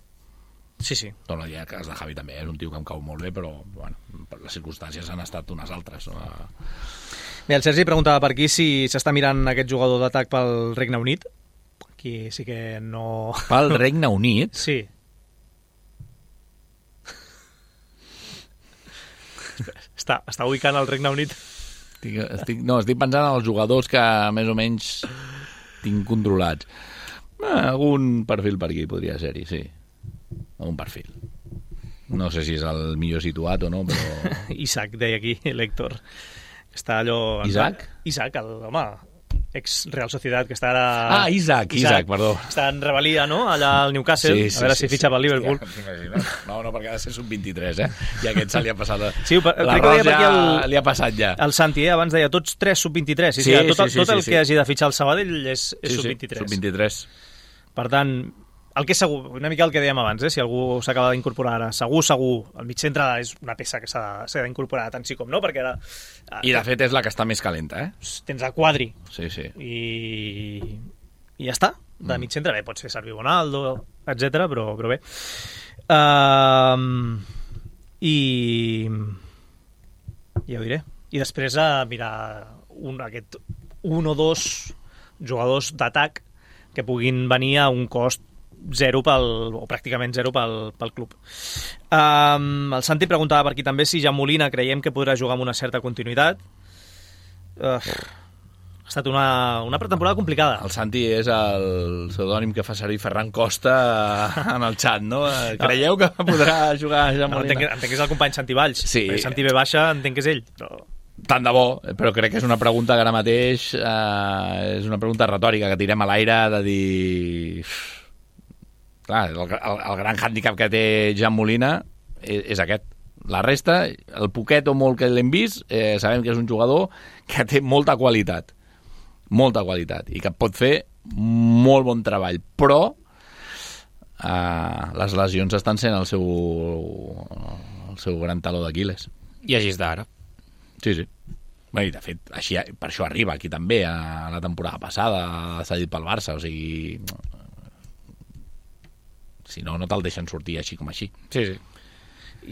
Sí, sí. Torno a dir, el cas de Javi també és un tio que em cau molt bé, però bueno, les circumstàncies han estat unes altres. No? Bé, el Sergi preguntava per aquí si s'està mirant aquest jugador d'atac pel Regne Unit. Aquí sí que no... Pel Regne Unit? Sí. està, està ubicant el Regne Unit. Estic, estic, no, estic pensant en els jugadors que més o menys tinc controlats. Eh, algun perfil per aquí podria ser-hi, sí. Un perfil. No sé si és el millor situat o no, però... Isaac, deia aquí, l'Héctor. Està allò... Isaac? Isaac, el, home, ex-Real Sociedad, que està ara... Ah, Isaac, Isaac, Isaac, perdó. Està en rebel·lia, no?, allà al Newcastle, sí, sí, a veure sí, si fitxa sí, pel Liverpool. Hòstia, no, no, perquè ha de ser sub vint-i-tres, eh? I aquest se li ha passat... Sí, l'arròs ja el, li ha passat ja. El Santi, eh, abans deia, tots tres sub vint-i-tres. Sí, sí, sí, tot, sí, sí, tot el sí, sí. que hagi de fitxar el Sabadell és, és sí, sub vint-i-tres. Sí, sub vint-i-tres. Per tant... El que és segur, una mica el que dèiem abans, eh? Si algú s'acaba d'incorporar ara, segur, segur, el mig centre és una peça que s'ha d'incorporar tant sí com no, perquè ara... I de fet és la que està més calenta, eh? Tens el Quadri. Sí, sí. I, i ja està. De mig centre, bé, pot ser Servi Bonaldo, etcètera, però, però bé. Uh, I... Ja ho diré. i després a mirar un, aquest un o dos jugadors d'atac que puguin venir a un cost zero pel, o pràcticament zero pel, pel club. Um, el Santi preguntava per aquí també si Jan Molina creiem que podrà jugar amb una certa continuïtat. Uh, ha estat una, una pretemporada complicada. El Santi és el pseudònim que fa servir Ferran Costa en el xat, no? Creieu que podrà jugar Jan No, Molina? entenc, que- entenc que és el company Santi Valls. Sí. Perquè Santi ve baixa, entenc que és ell. Però... Tant de bo, però crec que és una pregunta que ara mateix eh, és una pregunta retòrica que tirem a l'aire de dir... Clar, el, el, el gran hàndicap que té Jan Molina és, és aquest. La resta, el poquet o molt que l'hem vist, eh, sabem que és un jugador que té molta qualitat. Molta qualitat. I que pot fer molt bon treball. Però eh, les lesions estan sent el seu, el seu gran taló d'Aquiles. I així està ara. Sí, sí. Bé, i de fet, així, per això arriba aquí també, a la temporada passada, cedit pel Barça, o sigui... Si no, no te'l deixen sortir així com així. Sí, sí.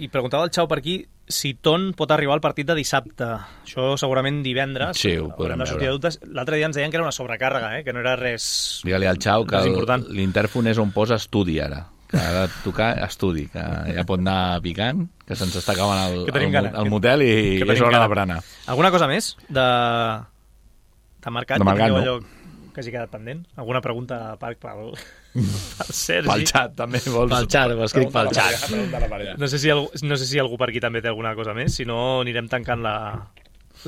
I preguntava el Xau per aquí si Ton pot arribar al partit de dissabte. Això segurament divendres. Sí, ho podrem Haurem de sortir veure. de dubtes. L'altre dia ens deien que era una sobrecàrrega, eh? Que no era res... Digue-li al Xau que res el- important. l'intèrfon és on posa estudi ara. Que ha de tocar estudi, que ja pot anar picant, que se'ns està acabant el, Que tenim el, gana. el motel i Que és tenim hora gana. de berenar. Alguna cosa més de, de mercat? De mercat, Que tingueu no. allò que hagi quedat pendent? Alguna pregunta per, pel, pel Sergi? Pel xat, també vols... Pel xat, ho escric pel xat. No sé, si algú, no sé si algú per aquí també té alguna cosa més, si no anirem tancant la,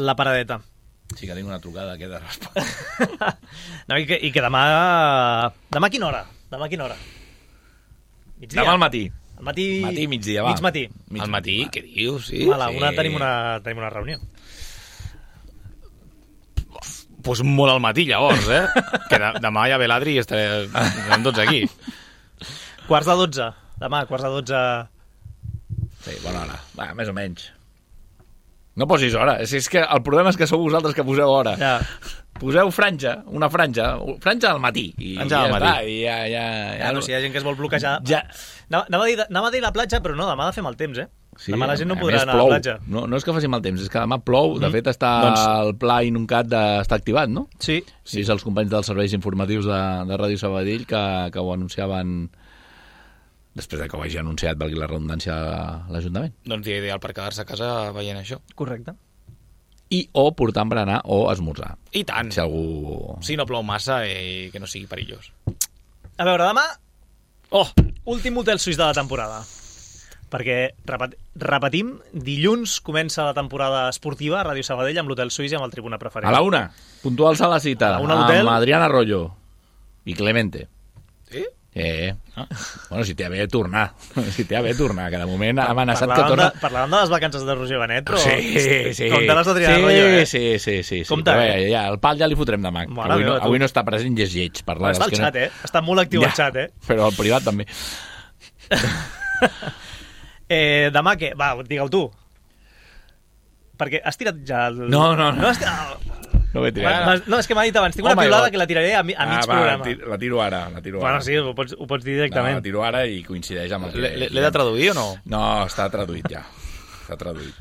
la paradeta. Sí que tinc una trucada que he de respondre. No, i, que, I que demà... Demà a quina hora? Demà a quina hora? Migdia? Demà al matí. Al matí... Matí, migdia, va. Mig matí. Mig Al matí, va. què dius? Sí, A la una sí. tenim una, tenim una reunió. Pues molt al matí, llavors, eh? Que de, demà ja ve l'Adri i estaré, estarem tots aquí. Quarts de dotze. Demà, quarts de dotze... Sí, bona hora. Va, més o menys. No posis hora. Si és que el problema és que sou vosaltres que poseu hora. Ja. Poseu franja, una franja. Franja al matí. I Franja al ja matí. Està, i ja, ja, ja, Ja, no, si hi ha gent que es vol bloquejar... Ja. Anava, anava, a dir, anava a dir la platja, però no, demà ha de fer mal temps, eh? Sí, demà la gent no a podrà més anar plou. a la platja. No, no és que faci mal temps, és que demà plou. De Mm. fet, està Doncs- el pla inuncat de, està activat, no? Sí. Sí, és els companys dels serveis informatius de, de Ràdio Sabadell que, que ho anunciaven després de que ho hagi anunciat, valgui la redundància, l'Ajuntament. Doncs dia ideal per quedar-se a casa veient això. Correcte. I o portar berenar o esmorzar. I tant. Si algú... Si no plou massa i que no sigui perillós. A veure, demà... Oh! Últim hotel suís de la temporada. Perquè, repet, repetim, dilluns comença la temporada esportiva a Ràdio Sabadell amb l'hotel suís i amb el Tribuna Preferent. A la una, puntuals a la cita, A la una a l'hotel. amb Adrián Arroyo i Clemente. Sí? Eh, ah. Bueno, si té a bé tornar. Si té a bé tornar, que de moment ha amenaçat que Parlàvem torna... de, parlàvem de les vacances de Roger Benet, però... Sí, sí. Compte les d'Adrià sí, Arroyo, eh? Sí, sí, sí. sí. Compte, Però, eh? eh, ja, el pal ja li fotrem demà. Mare Avui, no, meva, tu. avui no està present i és lleig. Per Està al xat, eh? Està molt actiu el xat, eh? Però al privat també. eh demà què? Va, digue-ho tu. Perquè has tirat ja el... No, no, no. No, has tirat... No ho he tirat. M'has- no, és que m'ha dit abans, tinc una Oh my piulada God. que la tiraré a, mi, a mig ah, va, programa. ti- la tiro ara. La tiro Bueno, ara. sí, ho pots, ho pots dir No, directament. la tiro ara i coincideix amb el que... L'he l'he de traduir o no? No, està traduït ja. Està traduït.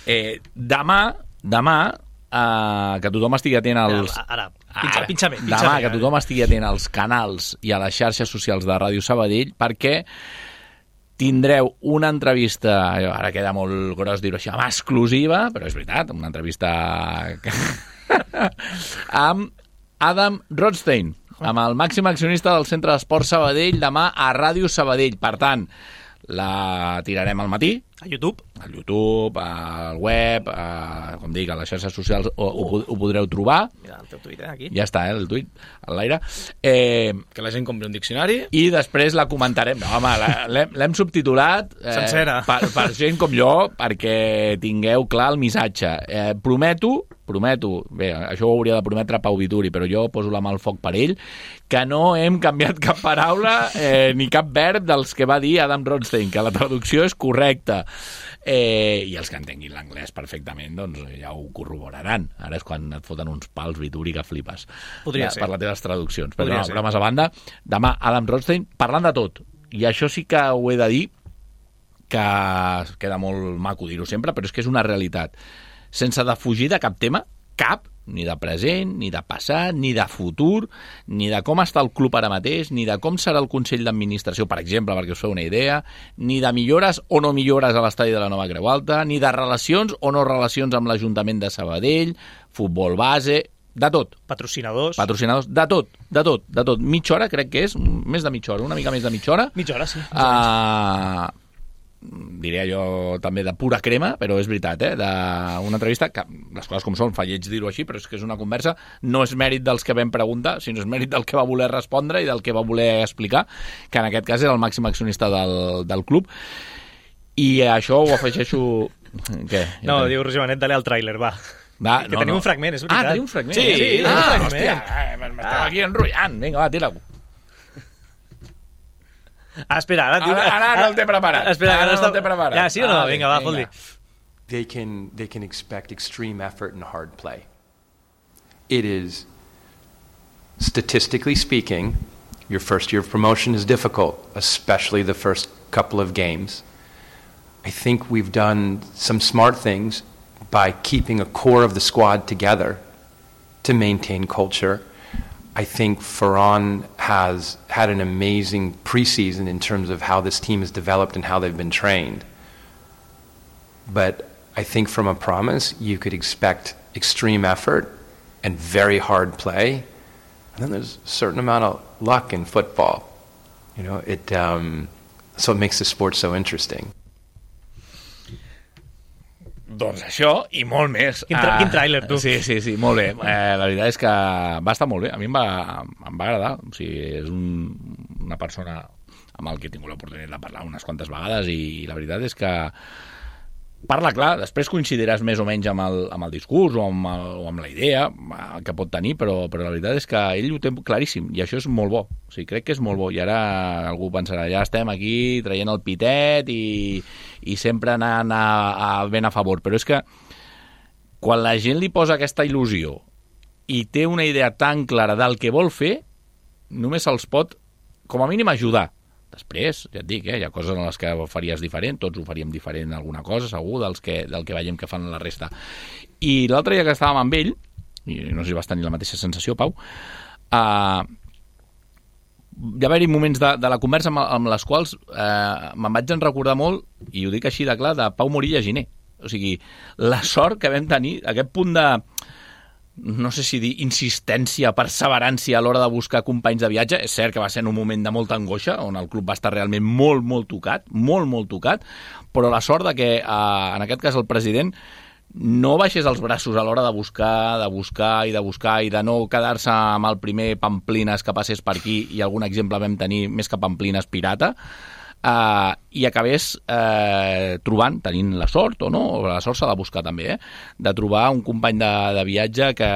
Eh, demà, demà, eh, que tothom estigui atent als... Ara, pinxa, pinxa bé. Pinxa Demà, bé, que tothom estigui atent als canals i a les xarxes socials de Ràdio Sabadell, perquè tindreu una entrevista, ara queda molt gros dir-ho així, amb exclusiva, però és veritat, una entrevista amb Adam Rothstein, amb el màxim accionista del Centre d'Esport Sabadell, demà a Ràdio Sabadell. Per tant, la tirarem al matí, A YouTube. al YouTube, al web, a, com dic, a les xarxes socials ho, ho, ho podreu trobar. Mira el teu tuit, eh, aquí. Ja està, eh, el tuit, a l'aire. Eh, Que la gent compri un diccionari. I després la comentarem. No, home, la- l'hem l'hem subtitulat eh, Sencera. per, per gent com jo, perquè tingueu clar el missatge. Eh, prometo, prometo, bé, això ho hauria de prometre Pau Vituri, però jo poso la mà al foc per ell, que no hem canviat cap paraula eh, ni cap verb dels que va dir Adam Rothstein, que la traducció és correcta. Eh, I els que entenguin l'anglès perfectament, doncs ja ho corroboraran. Ara és quan et foten uns pals, Vituri, que flipes. Podria Ja, ser. per les teves traduccions. Però Podria no, ser. bromes a banda, demà Adam Rothstein parlant de tot. I això sí que ho he de dir, que queda molt maco dir-ho sempre, però és que és una realitat. sense defugir de cap tema, cap, ni de present, ni de passat, ni de futur, ni de com està el club ara mateix, ni de com serà el Consell d'Administració, per exemple, perquè us feu una idea, ni de millores o no millores a l'estadi de la Nova Creu Alta, ni de relacions o no relacions amb l'Ajuntament de Sabadell, futbol base, de tot. Patrocinadors. Patrocinadors, de tot, de tot, de tot. Mitja hora, crec que és, més de mitja hora, una mica més de mitja hora. Mitja hora, sí. Uh, diria jo també de pura crema, però és veritat, eh? D'una entrevista que, les coses com són, fa lleig dir-ho així, però és que és una conversa, no és mèrit dels que vam preguntar, sinó és mèrit del que va voler respondre i del que va voler explicar, que en aquest cas era el màxim accionista del, del club. I això ho afegeixo... Què? No, diu Roger Benet, dale al tràiler, va. Va, que no, tenim no. un fragment, és veritat. Ah, tenim un fragment. Sí, sí, ah, un fragment. Hòstia, eh, m'estava ah. aquí enrotllant. Vinga, va, tira-ho. Ah, espera, ara... Ara, ara, ara el té preparat. Espera, ara ara no el té preparat. Ja, sí o no? Ah, vinga, va, fot-li. They can, they can expect extreme effort and hard play. It is, statistically speaking, your first year of promotion is difficult, especially the first couple of games. I think we've done some smart things by keeping a core of the squad together to maintain culture. I think Ferran has had an amazing preseason in terms of how this team has developed and how they've been trained. But I think from a promise, you could expect extreme effort and very hard play. And then there's a certain amount of luck in football. You know, it, um, so it makes the sport so interesting. Doncs això i molt més. Quin, tra quin tràiler, tu. Sí, sí, sí, molt bé. Eh, la veritat és que va estar molt bé. A mi em va, em va agradar. O sigui, és un, una persona amb el que he tingut l'oportunitat de parlar unes quantes vegades i la veritat és que parla clar, després coincidiràs més o menys amb el, amb el discurs o amb, el, o amb la idea que pot tenir, però, però la veritat és que ell ho té claríssim i això és molt bo. O sigui, crec que és molt bo i ara algú pensarà, ja estem aquí traient el pitet i, i sempre anant a, a, ben a favor, però és que quan la gent li posa aquesta il·lusió i té una idea tan clara del que vol fer, només se'ls pot com a mínim ajudar. Després, ja et dic, eh, hi ha coses en les que ho faries diferent, tots ho faríem diferent en alguna cosa, segur, dels que, del que veiem que fan la resta. I l'altre dia que estàvem amb ell, i no sé si vas tenir la mateixa sensació, Pau, uh, hi va haver moments de, de la conversa amb, amb les quals uh, me'n vaig en recordar molt, i ho dic així de clar, de Pau Morilla Giner. O sigui, la sort que vam tenir, aquest punt de... no sé si dir insistència, perseverància a l'hora de buscar companys de viatge. És cert que va ser en un moment de molta angoixa, on el club va estar realment molt, molt tocat, molt, molt tocat, però la sort de que, eh, en aquest cas, el president no baixés els braços a l'hora de buscar, de buscar i de buscar i de no quedar-se amb el primer Pamplines que passés per aquí, i algun exemple vam tenir més que Pamplines pirata, Uh, i acabés uh, trobant, tenint la sort o no, o la sort s'ha de buscar també, eh? De trobar un company de, de viatge que,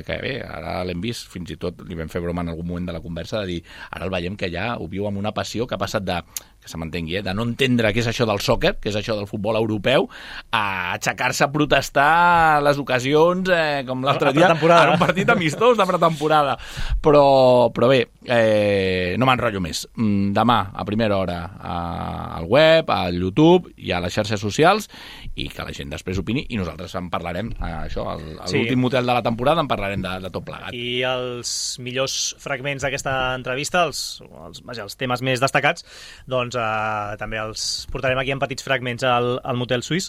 que bé, ara l'hem vist, fins i tot li vam fer broma en algun moment de la conversa, de dir, ara el veiem que ja ho viu amb una passió que ha passat de, que se m'entengui, eh? De no entendre què és això del sòquer, què és això del futbol europeu, a aixecar-se a protestar les ocasions, eh, com l'altre dia, en un partit amistós de pretemporada. Però, però bé, eh, no m'enrotllo més. Demà, a primera hora, a al web, al YouTube i a les xarxes socials, i que la gent després opini, i nosaltres en parlarem, eh, això, a l'últim sí. motel de la temporada en parlarem de, de tot plegat. I els millors fragments d'aquesta entrevista, els, els, vaja, els temes més destacats, doncs eh, també els portarem aquí en petits fragments al, al motel suís.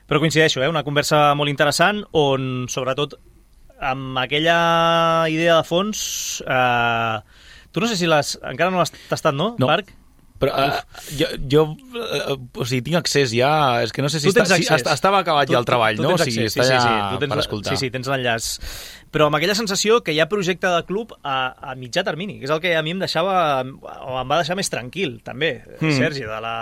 Però coincideixo, eh, una conversa molt interessant, on sobretot amb aquella idea de fons, eh, tu no sé si les, encara no l'has tastat, no, no. Marc? Però uh, jo, jo uh, o sigui, tinc accés ja, és que no sé si està, si estava acabat tu, ja el treball, tu, tu no? O sigui, sigui, està sí, ja sí, sí. Tens, per escoltar. Sí, sí, tens l'enllaç. Però amb aquella sensació que hi ha projecte de club a, a mitjà termini, que és el que a mi em deixava, o em va deixar més tranquil, també, mm. Sergi, de la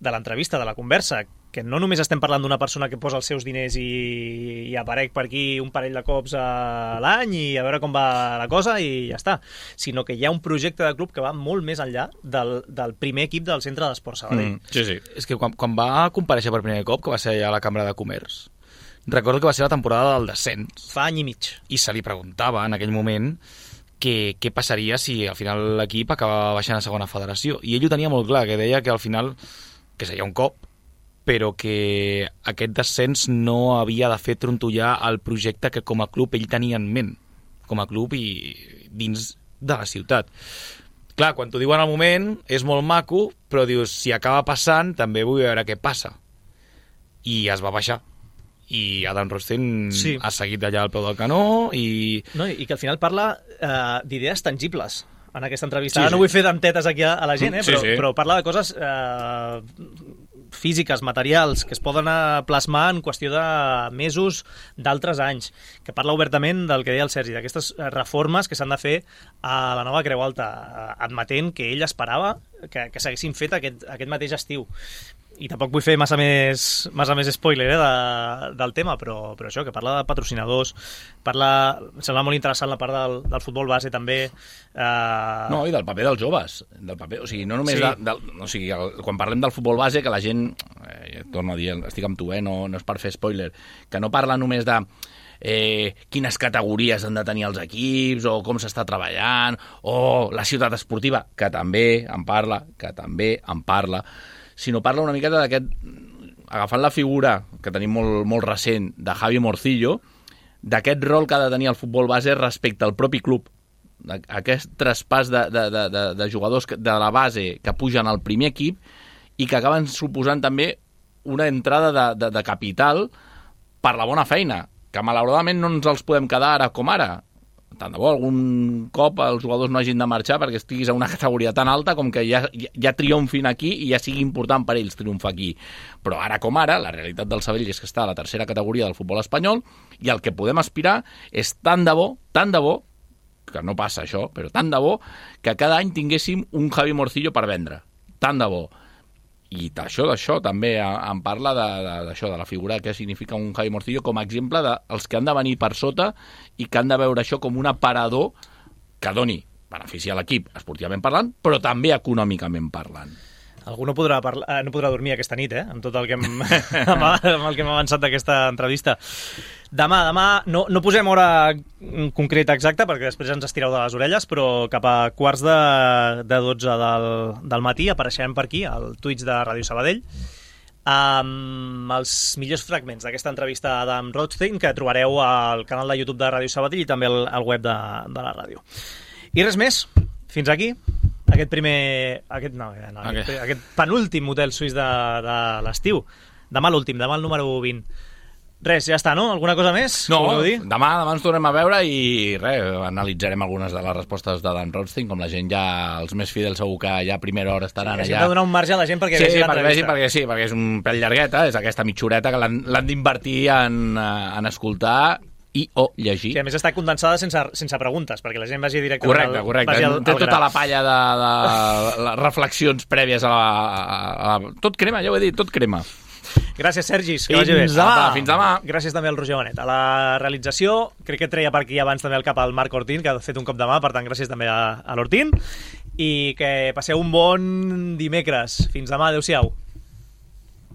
de l'entrevista, de la conversa, que no només estem parlant d'una persona que posa els seus diners i, i aparec per aquí un parell de cops a l'any i a veure com va la cosa i ja està, sinó que hi ha un projecte de club que va molt més enllà del, del primer equip del Centre d'Esports Sabadell. Mm, sí, sí. És que quan, quan va comparèixer per primer cop, que va ser allà a la Cambra de Comerç, recordo que va ser la temporada del descens. Fa any i mig. I se li preguntava en aquell moment què, què passaria si al final l'equip acaba baixant a segona federació. I ell ho tenia molt clar, que deia que al final que seria un cop, però que aquest descens no havia de fer trontollar el projecte que com a club ell tenia en ment, com a club i dins de la ciutat. Clar, quan t'ho diuen al moment és molt maco, però dius, si acaba passant també vull veure què passa. I es va baixar. I Adam Rothstein sí. ha seguit allà al peu del canó i... No, i que al final parla eh, d'idees tangibles en aquesta entrevista. Sí, Ara no sí. vull fer dentetes aquí a, a la gent, eh, Sí, però, sí. però parla de coses eh, físiques, materials, que es poden eh, plasmar en qüestió de mesos d'altres anys, que parla obertament del que deia el Sergi, d'aquestes reformes que s'han de fer a la nova Creu Alta, eh, admetent que ell esperava que, que s'haguessin fet aquest, aquest mateix estiu. I tampoc vull fer massa més, massa més spoiler eh, de, del tema, però, però això, que parla de patrocinadors, parla, em sembla molt interessant la part del, del futbol base també. Eh... No, i del paper dels joves. Del paper, o sigui, no només Sí. de, del, o sigui, el, quan parlem del futbol base, que la gent, eh, torno a dir, estic amb tu, eh, no, no és per fer spoiler, que no parla només de eh, quines categories han de tenir els equips, o com s'està treballant, o la ciutat esportiva, que també en parla, que també en parla, sinó parla una miqueta d'aquest, agafant la figura que tenim molt, molt recent de Javi Morcillo, d'aquest rol que ha de tenir el futbol base respecte al propi club, aquest traspàs de, de, de, de, de jugadors de la base que pugen al primer equip i que acaben suposant també una entrada de, de, de capital per la bona feina, que malauradament no ens els podem quedar ara com ara. Tant de bo algun cop els jugadors no hagin de marxar perquè estiguis a una categoria tan alta com que ja, ja, ja triomfin aquí i ja sigui important per ells triomfar aquí. Però ara com ara, la realitat del Sabadell és que està a la tercera categoria del futbol espanyol i el que podem aspirar és tant de bo, tant de bo, que no passa això, però tant de bo, que cada any tinguéssim un Javi Morcillo per vendre. Tant de bo. I d'això, d'això també em parla de, de, d'això, de la figura que significa un Javi Morcillo com a exemple dels que han de venir per sota i que han de veure això com un aparador que doni benefici a l'equip esportivament parlant, però també econòmicament parlant. Algú no podrà, parlar, no podrà dormir aquesta nit, eh? Amb tot el que hem, amb, amb el que hem avançat d'aquesta entrevista. Demà, demà, no, no posem hora concreta exacta, perquè després ens estireu de les orelles, però cap a quarts de, de dotze del, del matí apareixerem per aquí, al Twitch de Ràdio Sabadell, amb els millors fragments d'aquesta entrevista a Adam Rothstein, que trobareu al canal de YouTube de Ràdio Sabadell i també al, al web de, de la ràdio. I res més, fins aquí. Aquest primer... Aquest, no, no aquest, okay. aquest penúltim hotel suís de, de l'estiu. Demà l'últim, demà el número vint. Res, ja està, no? Alguna cosa més? No, dir? demà, demà ens tornem a veure i res, analitzarem algunes de les respostes de Dan Rothstein, com la gent ja, els més fidels segur que ja a primera hora estaran sí, allà. Sí, donar un marge a la gent perquè sí, vegi perquè l'entrevista. Vegi, perquè sí, perquè és un pèl llargueta, és aquesta mitjoreta que l'han, l'han d'invertir en, en escoltar i o llegir. Sí, a més està condensada sense, sense preguntes, perquè la gent vagi directament... Correcte, correcte. Vagi al, Té al tota gra. la palla de, de les reflexions prèvies a la, a la... Tot crema, ja ho he dit, tot crema. Gràcies, Sergi, que fins vagi bé. Demà. Apa, fins demà. Gràcies també al Roger Bonet. A la realització, crec que treia per aquí abans també el cap al Marc Ortín, que ha fet un cop de mà, per tant, gràcies també a, a l'Ortín. I que passeu un bon dimecres. Fins demà, adeu-siau.